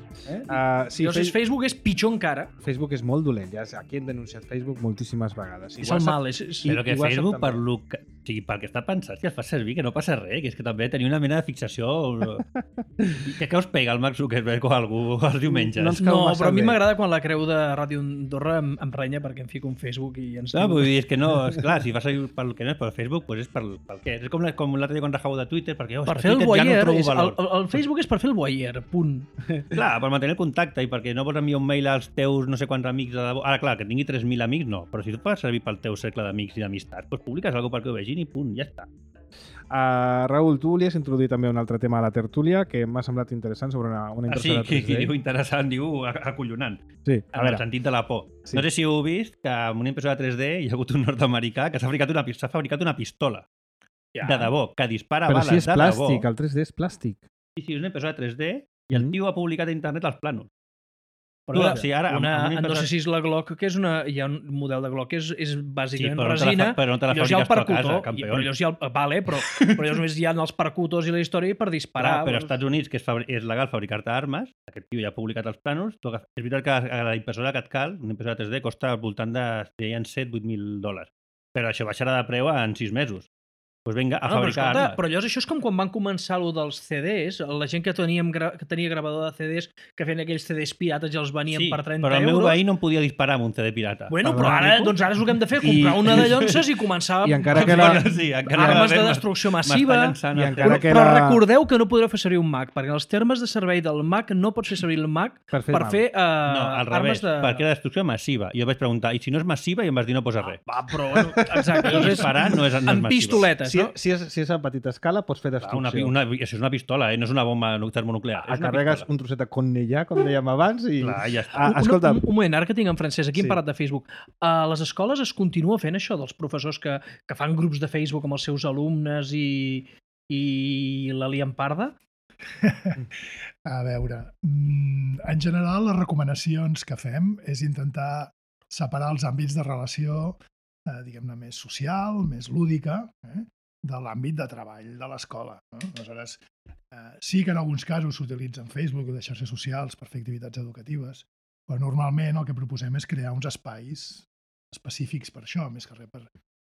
Sí, llavors Facebook és pitjor encara. Facebook és molt dolent, aquí hem denunciat Facebook moltíssimes vegades. És el mal. Però que Facebook, pel que està pensat, que es fa servir, que no passa res, que és que també tenia una mena de fixació... Què us pega el Mark Zuckerberg o algú els diumenges? No, però a mi m'agrada quan la creu de Ràdio Andorra em renya perquè em fico en Facebook i ens... No, vull dir, és que no, esclar, si fa servir pel que no és pel Facebook, doncs és pel què? És com l'altre dia quan rajau de Twitter, perquè per fer el Twitter ja no trobo voyeur, valor. el Facebook és per fer el voyeur, punt. Clar, per mantenir el contacte i perquè no vols enviar un mail als teus no sé quants amics de debò. Ara, clar, que tingui 3.000 amics, no, però si tu fas servir pel teu cercle d'amics i d'amistats, doncs publiques alguna cosa perquè ho vegin i punt, ja està. Raül, tu volies introduir també un altre tema a la tertúlia que m'ha semblat interessant sobre una impressora 3D. Sí, diu interessant, diu acollonant. Sí, en el sentit de la por. Sí. No sé si heu vist que amb una impressora 3D hi ha hagut un nord-americà que s'ha fabricat una pistola de debò, que dispara bales de debò. Però si és plàstic, el 3D és plàstic. Sí, és una impressora 3D i el tio ha publicat a internet els plànols. Però no sé si és la Glock, que és hi ha un model de Glock que és bàsicament resina, però no te la fabriques tu a casa, campió. Però llavors només hi ha els percutors i la història per disparar. Però als Estats Units, que és legal fabricar-te armes, aquest tio ja ha publicat els plànols, és veritat que la impressora que et cal, una impressora 3D, costa al voltant de $7.000-8.000. Però això baixarà de preu en 6 mesos. Doncs vinga, a fabricar armes. Però llavors això és com quan van començar allò dels CDs, la gent que tenia gravador de CDs, que feien aquells CDs pirates i els venien per 30 euros. Però el meu veí no em podia disparar amb un CD pirata. Bueno, però ara és el que hem de fer, comprar una de llonces i començar armes de destrucció massiva. Però recordeu que no podreu fer servir un Mac, perquè els termes de servei del Mac no pots fer servir el Mac per fer armes de... perquè era destrucció massiva. I jo vaig preguntar, i si no és massiva? I em vas dir no posa res. Però, exacte. Disparar no és amb pistoletes. Si és a petita escala, pots fer destrucció. Això és una pistola, no és una bomba termonuclear. Carregues un trosset de Cornellà, com dèiem abans, i... Clar, ja està. Un moment, ara que tinc en francès, aquí hem parlat de Facebook. A les escoles es continua fent això dels professors que fan grups de Facebook amb els seus alumnes i la lien parda? A veure, en general les recomanacions que fem és intentar separar els àmbits de relació, diguem-ne, més social, més lúdica, de l'àmbit de treball de l'escola. Aleshores, sí que en alguns casos s'utilitzen Facebook o de xarxes socials per fer activitats educatives, però normalment el que proposem és crear uns espais específics per això, més que res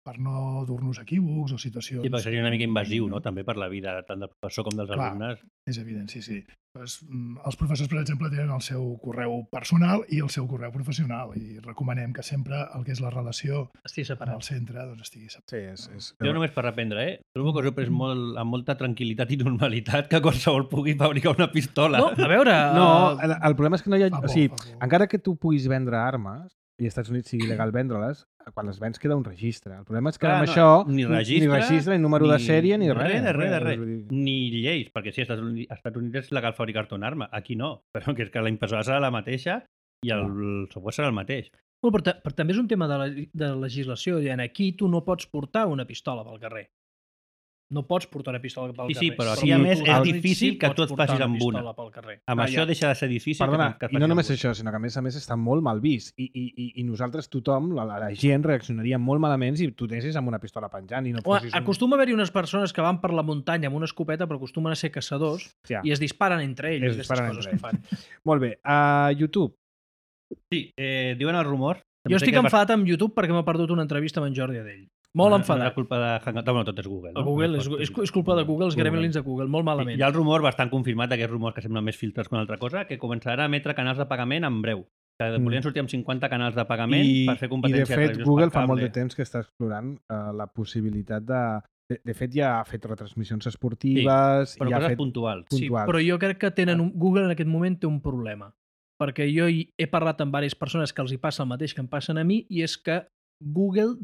per no dur-nos equívocs o situacions... I perquè seria una mica invasiu, no?, també per la vida tant del professor com dels alumnes. És evident, sí. Doncs, els professors, per exemple, tenen el seu correu personal i el seu correu professional i recomanem que sempre el que és la relació al centre doncs, estigui separat. Sí, Jo només per reprendre, trobo que us ho he pres amb molta tranquil·litat i normalitat que qualsevol pugui fabricar una pistola. No, a veure... No, el problema és que no hi ha... O sigui, encara que tu puguis vendre armes i als Estats Units sigui legal vendre-les, quan les vens queda un registre. El problema és que amb això ni registre, ni número de sèrie, ni res. Res. Ni lleis, perquè sí, als Estats Units és legal fabricar-te una arma. Aquí no, però que és que la impressora serà la mateixa i el software serà el mateix. Però també és un tema de legislació. Aquí tu no pots portar una pistola pel carrer. No pots portar una pistola pel carrer. Sí, però aquí a més és difícil que tu et facis amb una. Amb això deixa de ser difícil. Perdona, i no només això, sinó que a més està molt mal vist. I nosaltres, tothom, la gent reaccionaria molt malament si tu anessis amb una pistola penjant i no fossis... Acostuma a haver-hi unes persones que van per la muntanya amb una escopeta, però acostumen a ser caçadors i es disparen entre ells. Es disparen entre ells. Molt bé. A YouTube. Sí, diuen el rumor... Jo estic enfadat amb YouTube perquè m'ha perdut una entrevista amb en Jordi Adell. Molt enfadat. És culpa de Hangout. Bueno, tot és Google. No? Google és culpa de Google, els gremlins de Google, molt malament. Hi ha el rumor bastant confirmat d'aquests rumors que semblen més filtres que una altra cosa, que començarà a emetre canals de pagament en breu. Que volien sortir amb 50 canals de pagament per fer competència. I de fet, Google fa molt de temps que està explorant la possibilitat de... De fet, ja ha fet retransmissions esportives... Sí, però coses puntuals. Sí, però jo crec que Google en aquest moment té un problema. Perquè jo he parlat amb diverses persones que els hi passa el mateix que em passen a mi, i és que Google,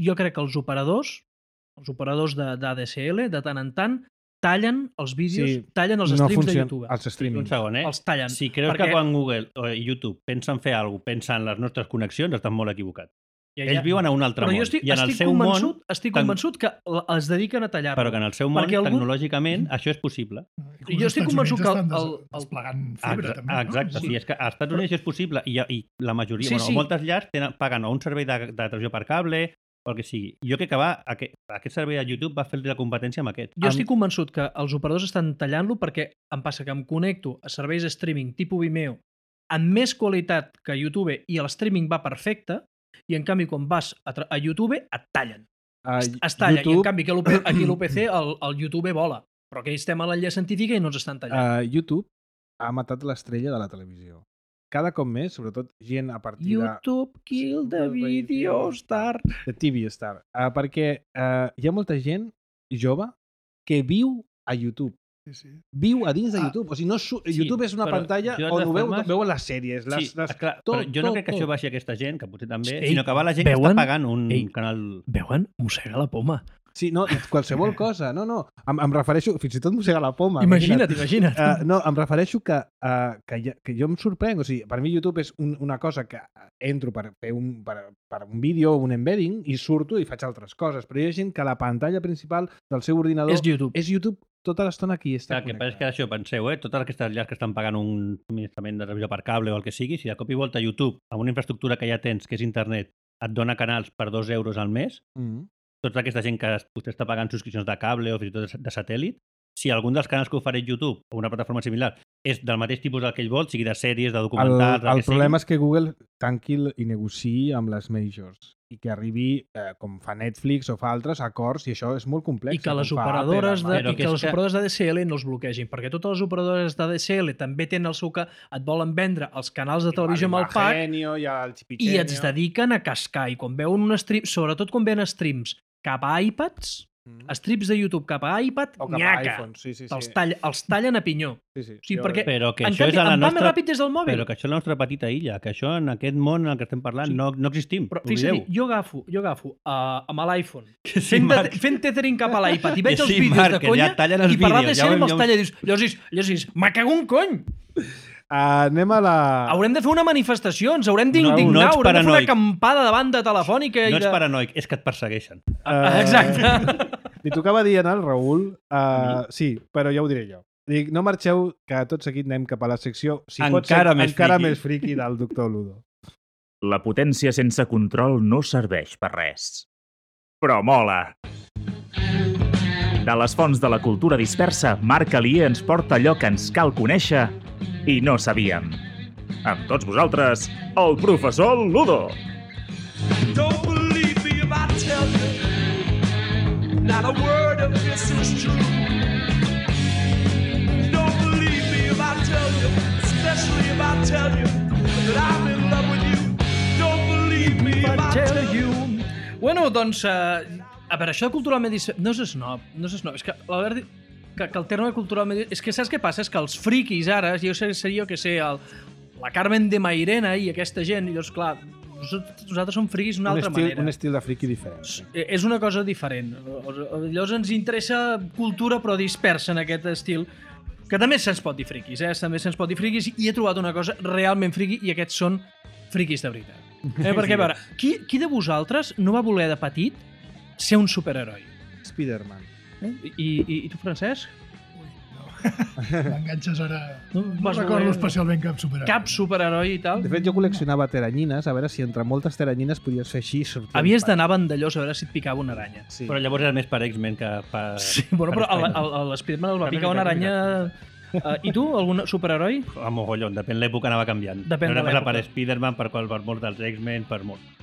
jo crec que els operadors d'ADSL, de tant en tant, tallen els vídeos, tallen els streams de YouTube. Els streamings. Un segon, Els tallen. Si creus que quan Google o YouTube pensen fer alguna cosa, pensen en les nostres connexions, estan molt equivocats. Ells viuen a un altre món. I en el seu món... Estic convençut que es dediquen a tallar-lo. Però que en el seu món, tecnològicament, això és possible. I jo estic convençut que... desplegant fibra, també. Exacte, sí, és que als Estats Units és possible i la majoria, moltes llars paguen o un servei de televisió per cable o el que sigui. Jo crec que aquest servei de YouTube va fer-li la competència amb aquest. Jo estic convençut que els operadors estan tallant-lo perquè em passa que em connecto a serveis de streaming tipus Vimeo amb més qualitat que YouTube i el streaming va perfecte, i en canvi quan vas a YouTube et tallen. Es talla, i en canvi aquí a l'UPC el YouTube vola. Però aquí estem a l'enllaç científica i no ens estan tallant. YouTube ha matat l'estrella de la televisió. Cada cop més, sobretot gent a partir YouTube kill the video star. The TV star. Perquè hi ha molta gent jove que viu a YouTube. Sí. Viu a dins de YouTube. O sigui, YouTube és una pantalla on veuen les sèries. Clar, però jo no crec que això baixi aquesta gent, que potser també, sinó que va la gent que està pagant un canal... Veuen? Mossega la poma. Sí, no, qualsevol cosa. No, em refereixo... Fins i tot mossega la poma. Imagina't. No, em refereixo que jo em sorprenc. O sigui, per mi YouTube és una cosa que entro per fer un vídeo, un embedding, i surto i faig altres coses. Però hi ha gent que la pantalla principal del seu ordinador és YouTube tota l'estona aquí està connectada. Que és que això, penseu, totes aquestes llars que estan pagant un subministrament de televisió per cable o el que sigui, si de cop i volta YouTube, amb una infraestructura que ja tens, que és internet, et dona canals per 2 euros al mes, tota aquesta gent que potser està pagant subscripcions de cable o fins i tot de satèl·lit, si algun dels canals que ofereix YouTube o una plataforma similar és del mateix tipus del que ell vol, sigui de sèries, de documentals... El problema és que Google tanqui i negociï amb les majors i que arribi, com fa Netflix o fa altres, acords, i això és molt complex. I que les operadores d'ADSL no els bloquegin, perquè totes les operadores d'ADSL també tenen el seu que et volen vendre els canals de televisió amb el pack i es dediquen a cascar. I quan veuen un stream, sobretot quan veuen streams cap a iPads, strips de YouTube cap a iPad, o cap a iPhone, sí. Els tallen a pinyó. Sí. Però que això és va més ràpid des del mòbil. Però que això és la nostra petita illa, que això en aquest món en el que estem parlant no existim. Però fixa't, jo agafo amb l'iPhone, fent tethering cap a l'iPad, i veig els vídeos de conya, i per l'ADSL me'ls talla i dius, Llosis, me cago un cony! Anem a la... Haurem de fer una manifestació, ens haurem d'indignar, haurem de fer una acampada davant de Telefònica. No ets paranoic, és que et persegueixen. Exacte. Li tocava dir al Raül... sí, però ja ho diré jo. Dic, no marxeu, que tot seguit anem cap a la secció, si pot ser, encara més friqui del Doctor Ludo. La potència sense control no serveix per res. Però mola! De les fonts de la cultura dispersa, Marc Alier ens porta allò que ens cal conèixer i no sabíem. Amb tots vosaltres, el professor Ludo! Don't believe me if I tell you not a word of this is true. Don't believe me if I tell you, especially if I tell you that I'm in love with you. Don't believe me if I tell you. Bueno, doncs, a veure, això de culturalment dispersa... No és snob. És que l'Albert diu que el terme culturalment... És que saps què passa? És que els friquis ara, jo seria, que sé, la Carmen de Mairena i aquesta gent, i llavors, clar, nosaltres som friquis d'una altra manera. Un estil de friqui diferent. És una cosa diferent. Llavors ens interessa cultura, però dispersa en aquest estil, que també se'ns pot dir friquis, també se'ns pot dir friquis, i he trobat una cosa realment friqui, i aquests són friquis de veritat. Perquè, a veure, qui de vosaltres no va voler de petit ser un superheroi? Spider-Man. I tu, Francesc? M'enganxes ara... No vas recordo voler- especialment cap superheroi. Cap superheroi i tal? De fet, jo col·leccionava teranyines, a veure si entre moltes teranyines podies fer així i sortir. Havies d'anar a Vandellós a veure si et picava una aranya. Sí. Però llavors era més per X-Men que per... Sí, bueno, però a l'Spiderman el va picar una aranya... I tu, algun superheroi? A mogollon, depèn l'època anava canviant. Depèn no de era l'època. per Spider-Man, per molts dels X-Men, per molt.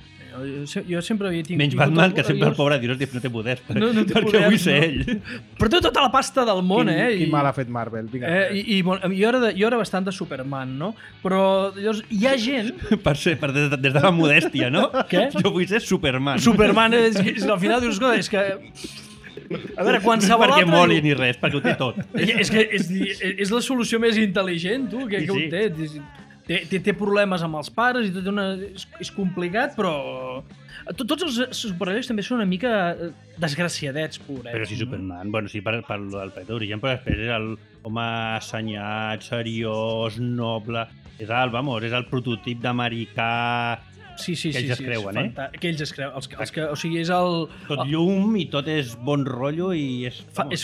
Jo sempre havia tingut... Menys Batman, que sempre el pobre dius no té poders, No té perquè poders, vull ser no. ell. Però té tota la pasta del món, Quin mal ha fet Marvel. Vinga. Jo era bastant de Superman, no? Però llavors, hi ha gent... Des de la modèstia, no? Què? Jo vull ser Superman. Superman, al final dius, escolta, és que... A veure, qualsevol perquè altre... moli ni res, perquè ho té tot. És que és la solució més intel·ligent, tu, que ho té. Té problemes amb els pares i tot és complicat, però... Tots els superherois també són una mica desgraciadets, pobret. Però sí, Superman, bueno, sí, per el pet d'origen, però després és l'home assenyat, seriós, noble... És el prototip d'americà... Sí, que ells es creuen, que ells es creuen. O sigui, és el... Tot llum i tot és bon rotllo i és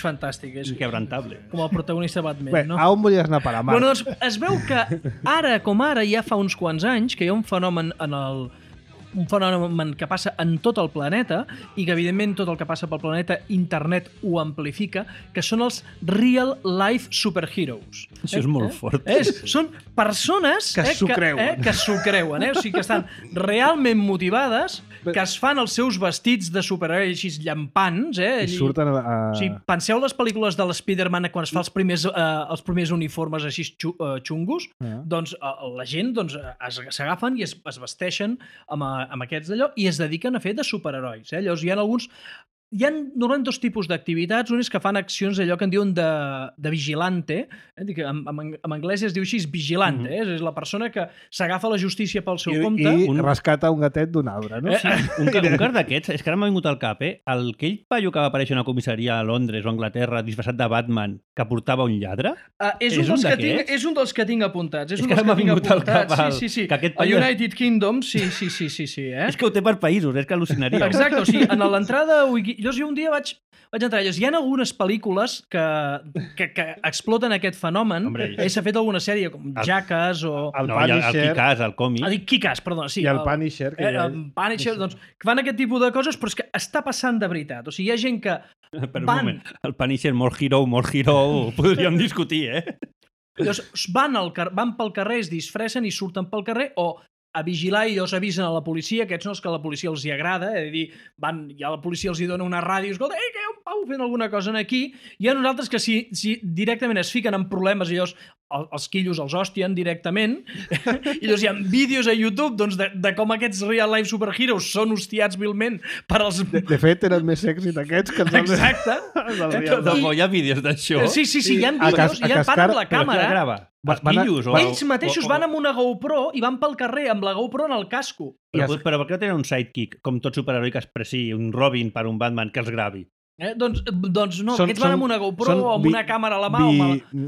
fantàstic. És inquebrantable. com el protagonista de Batman, Bé, no? a on volies anar a parar, Marc? Bueno, doncs es veu que ara com ara, ja fa uns quants anys, que hi ha un fenomen un fenomen que passa en tot el planeta i que, evidentment, tot el que passa pel planeta, internet ho amplifica, que són els real life superheroes. Això és molt fort. Són persones Que s'ho creuen. que s'ho creuen, o sigui, que estan realment motivades, que es fan els seus vestits de superherois així llampants, I surten a... O sigui, penseu les pel·lícules de l'Spiderman quan es fa els primers uniformes així xungos, doncs la gent s'agafen i es vesteixen amb aquests d'allò i es dediquen a fer de superherois. Llavors hi ha normalment dos tipus d'activitats. Un és que fan accions allò que en diuen de vigilante, en anglès es diu així, vigilante, és la persona que s'agafa la justícia pel seu compte. I rescata un gatet d'un arbre, no? Un car d'aquests, és que ara m'ha vingut al cap, aquell paio que va aparèixer a una comissaria a Londres o a Anglaterra disfressat de Batman que portava un lladre? És un dels que tinc apuntats. És que ara m'ha vingut al cap sí. que aquest A paio... United Kingdom, sí. És que ho té per països, és que al·lucinaria. Exacte, o sigui, en l'entrada... Llavors jo un dia vaig entrar. Llavors, hi ha algunes pel·lícules que exploten aquest fenomen. S'ha fet alguna sèrie com Jackass o... El Punisher. El Kick-Ass, el còmic. Dic Kick-Ass, perdona, sí. I el Punisher. El Punisher, doncs, que fan aquest tipus de coses, però és que està passant de veritat. O sigui, hi ha gent que Per un moment, el Punisher, molt hero, ho podríem discutir, Llavors, van pel carrer, es disfressen i surten pel carrer o a vigilar i llavors avisen a la policia, aquests són els que a la policia els hi agrada, és a dir, ja la policia els hi dona una ràdio, escolta, que hi ha un pau fent alguna cosa aquí, hi ha nosaltres que si directament es fiquen en problemes i llavors els quillos els hòstien directament, i llavors hi ha vídeos a YouTube doncs, de com aquests real life superheroes són hostiats vilment per als... De fet, tenen més èxit aquests que els... Exacte. Hi ha vídeos d'això? Sí, hi ha vídeos, i van amb la càmera. Ells mateixos van amb una GoPro i van pel carrer amb la GoPro en el casco. Però per què no tenen un sidekick, com tot superheroi que expressi un Robin per un Batman que els gravi? Doncs no, aquests van amb una GoPro o amb una càmera a la mà o amb l'iPhone.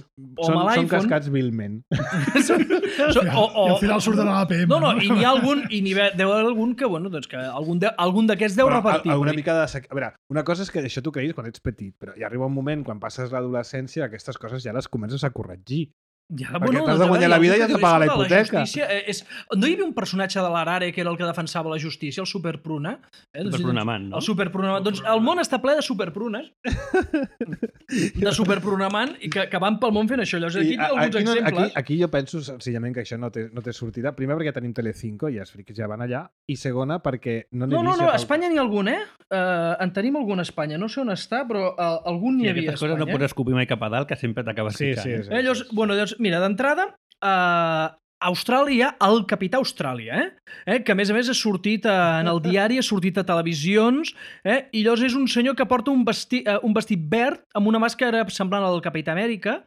Són cascats vilment. I al final surten a l'APM. No, i n'hi ha algun, i n'hi deu haver algun que, bueno, doncs que algun d'aquests deu repartir. Alguna mica de... A veure, una cosa és que això t'ho creguis quan ets petit, però hi arriba un moment, quan passes l'adolescència, aquestes coses ja les comences a corregir. Ja, perquè t'has de guanyar la vida i has de pagar la hipoteca. No hi havia un personatge de l'Arare que era el que defensava la justícia, el Superpruna? Superprunaman, no? El Superprunaman. Doncs el món està ple de superprunes, de superprunaman, i que van pel món fent això. Llavors, aquí tinc alguns exemples. Aquí jo penso senzillament que això no té sortida. Primer, perquè tenim Telecinco i els friquis ja van allà. I segona, perquè no n'he vist... No, a Espanya n'hi ha algun, en tenim algun a Espanya. No sé on està, però algun n'hi havia a Espanya. Aquestes coses no pots escopir mai cap a dalt, que sempre t'acabes picant. Llavors, mira, d'entrada, Austràlia hi ha el Capità Austràlia, que a més ha sortit en el diari, ha sortit a televisions, i llavors és un senyor que porta un vestit verd amb una màscara semblant al Capità Amèrica,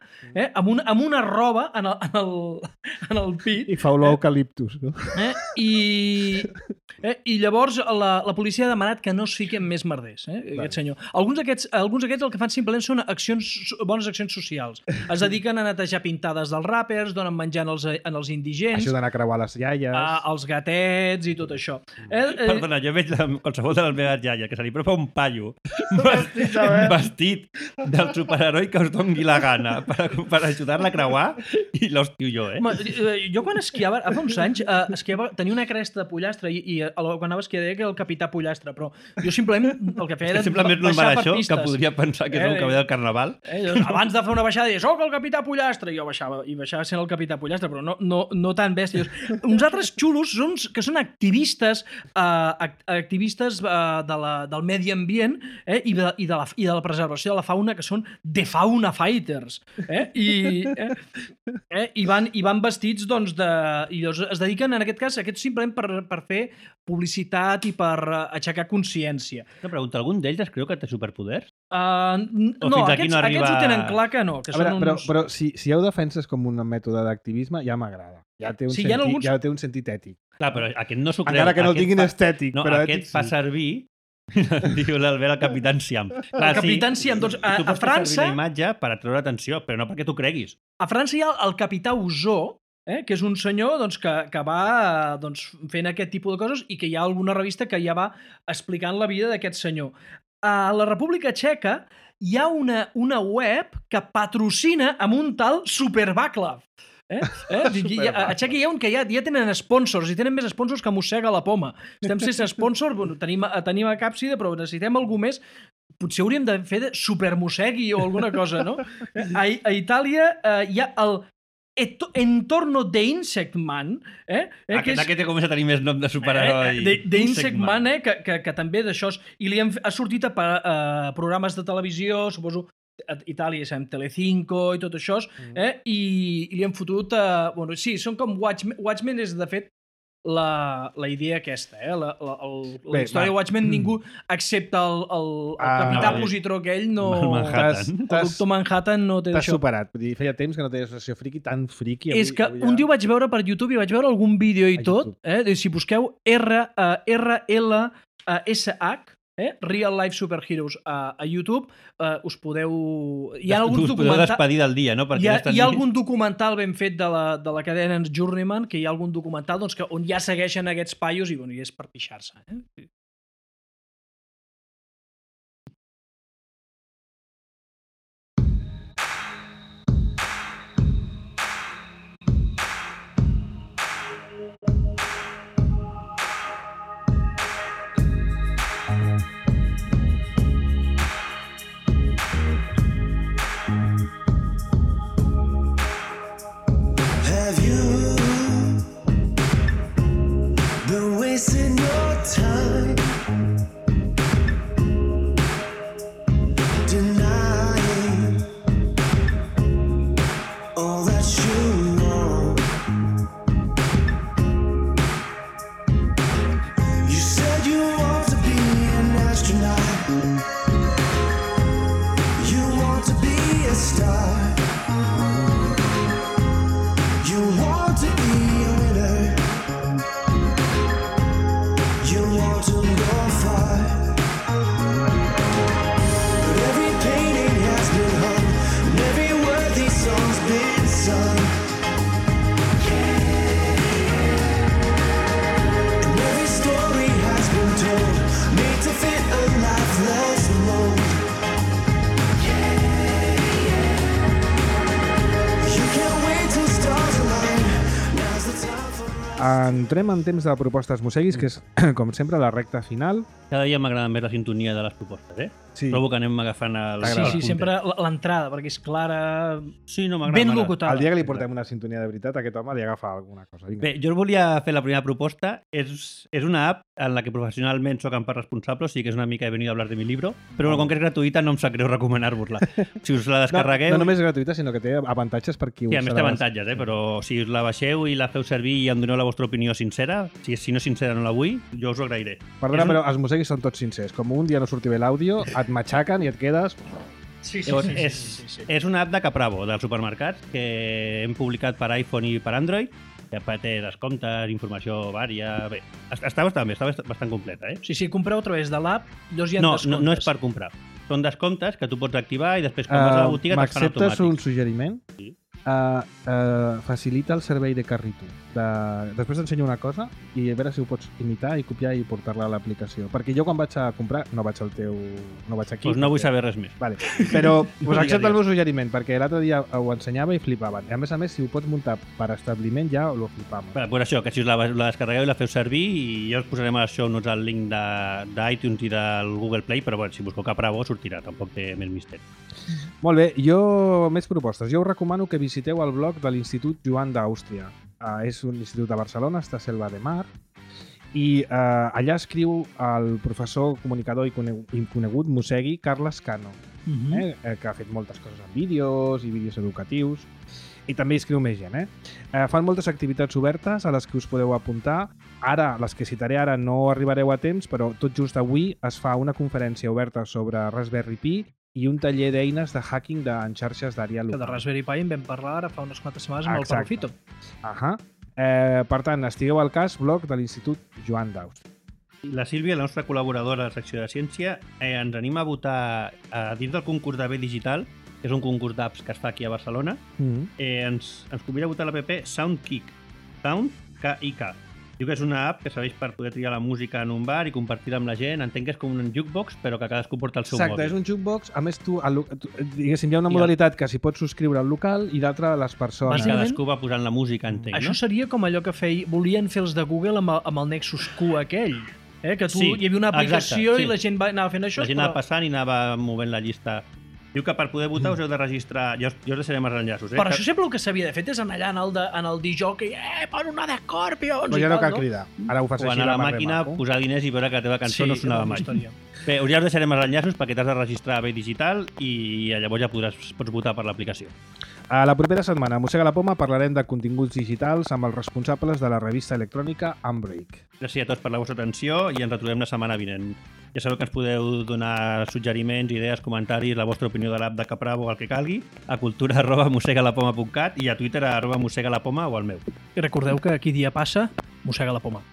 amb una roba en el pit. I fa olor eucaliptus, no? I llavors la policia ha demanat que no es fiquen més merders, aquest senyor. Alguns d'aquests el que fan simplement són bones accions socials. Es dediquen a netejar pintades dels ràpers, donen menjar als indigents, ajuden a creuar les iaies, els gatets i tot això. Perdona, jo veig qualsevol de les meves iaies que se li apropa un paio vestit del superheroi que us doni la gana per ajudar-la a creuar i l'hòstiu jo, Jo quan esquiava, fa uns anys, tenia una cresta de pollastre i quan anava a esquiar deia que era el capità pollastre, però jo simplement el que feia era baixar per pistes. Que podria pensar que és el que ve del carnaval. Abans de fer una baixada deia, soc el capità pollastre, i jo baixava sent el capità pollastre, però no tan bèsties. Uns altres xulos que són activistes del medi ambient i de la preservació de la fauna, que són The Fauna Fighters. I van vestits, doncs, i es dediquen, en aquest cas, simplement per fer publicitat i per aixecar consciència. Una pregunta, algun d'ells es creu que té superpoders? No, aquests ho tenen clar que no. Però si heu defenses com un mètode d'activisme, ja m'agrada. Ja té un sentit ètic. Clar, però aquest no s'ho creu. Encara que no el tinguin estètic. No, aquest fa servir, diu l'Albert, el Capitán Siam. El Capitán Siam, doncs, a França... Tu pots fer servir la imatge per atreure atenció, però no perquè tu creguis. A França hi ha el Capità Usó, que és un senyor que va fent aquest tipus de coses i que hi ha alguna revista que ja va explicant la vida d'aquest senyor. A la República Txeca hi ha una web que patrocina amb un tal Supervaclav. A Txeca hi ha un que ja tenen sponsors i tenen més sponsors que mossega la poma. Estem sense sponsor, tenim a Càpsida, però necessitem algú més. Potser hauríem de fer de supermossegui o alguna cosa, no? A Itàlia hi ha el Entorno de Insect Man, Aquest comença a tenir més nom de superheroi. De Insect Man, que també d'això i ha sortit a programes de televisió, suposo a Itàlia, Telecinco i tot això, i li han fotut... sí, són com Watchmen és, de fet, la idea aquesta, la història de Watchmen, ningú, excepte el capità positró aquell, no... El doctor Manhattan no té d'això. T'has superat. Feia temps que no tenies una sessió friki tan friki. És que un dia ho vaig veure per YouTube i vaig veure algun vídeo i tot. Si busqueu RLSH, Real Life Superheroes a YouTube, us podeu... Hi ha alguns documentals... despedir del dia, no? Hi ha algun documental ben fet de la cadena Journeyman, que hi ha algun documental on ja segueixen aquests paios i és per pixar-se. Wasting your time denying all that you know. You said you want to be an astronaut, you want to be a star, you want to be a winner, you want to go far. Entrem en temps de propostes Museguis, que és, com sempre, la recta final. Cada dia m'agrada més la sintonia de les propostes, eh? Sí. Trobo que anem agafant el... Sí, sempre l'entrada, perquè és clara, Sí, no, m'agrada. ben m'agrada. locutada. El dia que li portem una sintonia de veritat, aquest home li agafa alguna cosa. Vinga. Bé, jo volia fer la primera proposta. És una app en la que professionalment soc en part responsable, o sigui que és una mica he venido a hablar de mi libro, però com que és gratuïta no em sap greu recomanar-vos-la. Si us la descarregueu... No només és gratuïta, sinó que té avantatges per qui Sí, a més té avantatges, però si us la baixeu i la feu servir i em doneu la vostra opinió sincera, si no sincera no la vull, jo us ho agrairé. Perdona, però els Museguis són tots sincers. Com un dia no surti bé l'àudio, et matxaquen i et quedes... Sí, Llavors, és una app de Capravo, dels supermercats, que hem publicat per iPhone i per Android, que té descomptes, informació vària... Bé, està bastant bé, està bastant completa, eh? Sí, compreu a través de l'app, llavors hi ha descomptes. No és per comprar. Són descomptes que tu pots activar i després quan vas a la botiga te'n fan automàtics. M'acceptes un suggeriment? Sí. Facilita el servei de carrito. Després t'ensenyo una cosa i a veure si ho pots imitar i copiar i portar-la a l'aplicació. Perquè jo quan vaig a comprar, no vaig al teu... no vaig aquí. Doncs no vull saber res més. Vale. Però us accepto el meu suggeriment, perquè l'altre dia ho ensenyava i flipaven. A més, si ho pots muntar per establiment ja ho flipàvem. Pues això, que si us la descarregueu i la feu servir, i ja us posarem a les show notes el link d'iTunes i del Google Play, però bueno, si busqueu Capravo sortirà, tampoc té més misteri. Molt bé, més propostes. Jo us recomano que visiteu el blog de l'Institut Joan d'Àustria. És un institut de Barcelona, està a Selva de Mar, i allà escriu el professor comunicador i conegut Musegui Carles Cano, que ha fet moltes coses en vídeos i vídeos educatius, i també escriu més gent. Fan moltes activitats obertes a les que us podeu apuntar. Ara, les que citaré ara no arribareu a temps, però tot just avui es fa una conferència oberta sobre Raspberry Pi i un taller d'eines de hacking en xarxes d'àrea Que local. de Raspberry Pi en vam parlar ara fa unes quantes setmanes amb el Parrofito. Per tant, estigueu al cas, blog de l'Institut Joan d'Àustria. La Sílvia, la nostra col·laboradora a la secció de ciència, ens anima a votar dins del concurs de B Digital, que és un concurs d'apps que es fa aquí a Barcelona. Ens convida a votar l'app SoundKick. Sound, K-I-K. Diu que és una app que serveix per poder triar la música en un bar i compartir-la amb la gent. Entenc que és com un jukebox, però que cadascú porta el seu mòbil. Exacte, és un jukebox. A més, diguéssim, hi ha una modalitat que s'hi pots subscriure al local i l'altra a les persones. Bàsicament, cadascú va posant la música, entenc, Això no? seria com allò que volien fer els de Google amb el Nexus Q aquell. Que Sí, hi havia una aplicació exacte, sí. i la gent anava fent això. La gent anava passant i anava movent la llista. Diu que per poder votar us heu de registrar... Jo us deixarem els enllaços, Per això sempre el que s'havia de fer és anar allà en el DJ per una de Scorpions Però ja no cal cridar. Ara ho fas o així anar a la mar màquina, maco. posar diners i veure que la teva cançó no sonava mai. Bé, ja us deixarem els enllaços perquè t'has de registrar a Bé Digital i llavors ja pots votar per l'aplicació. A la propera setmana, a Mossega la Poma, parlarem de continguts digitals amb els responsables de la revista electrònica Unbreak. Gràcies a tots per la vostra atenció i ens retrobem la setmana vinent. Ja sabeu que ens podeu donar suggeriments, idees, comentaris, la vostra opinió de l'app de Capravo o el que calgui a cultura@mossegalapoma.cat i a Twitter @mossegalapoma o al meu. I recordeu que aquí dia passa, mossega la poma.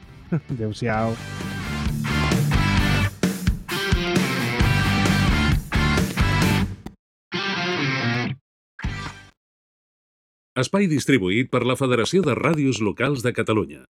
Adéu-siau. Espai distribuït per la Federació de Ràdios Locals de Catalunya.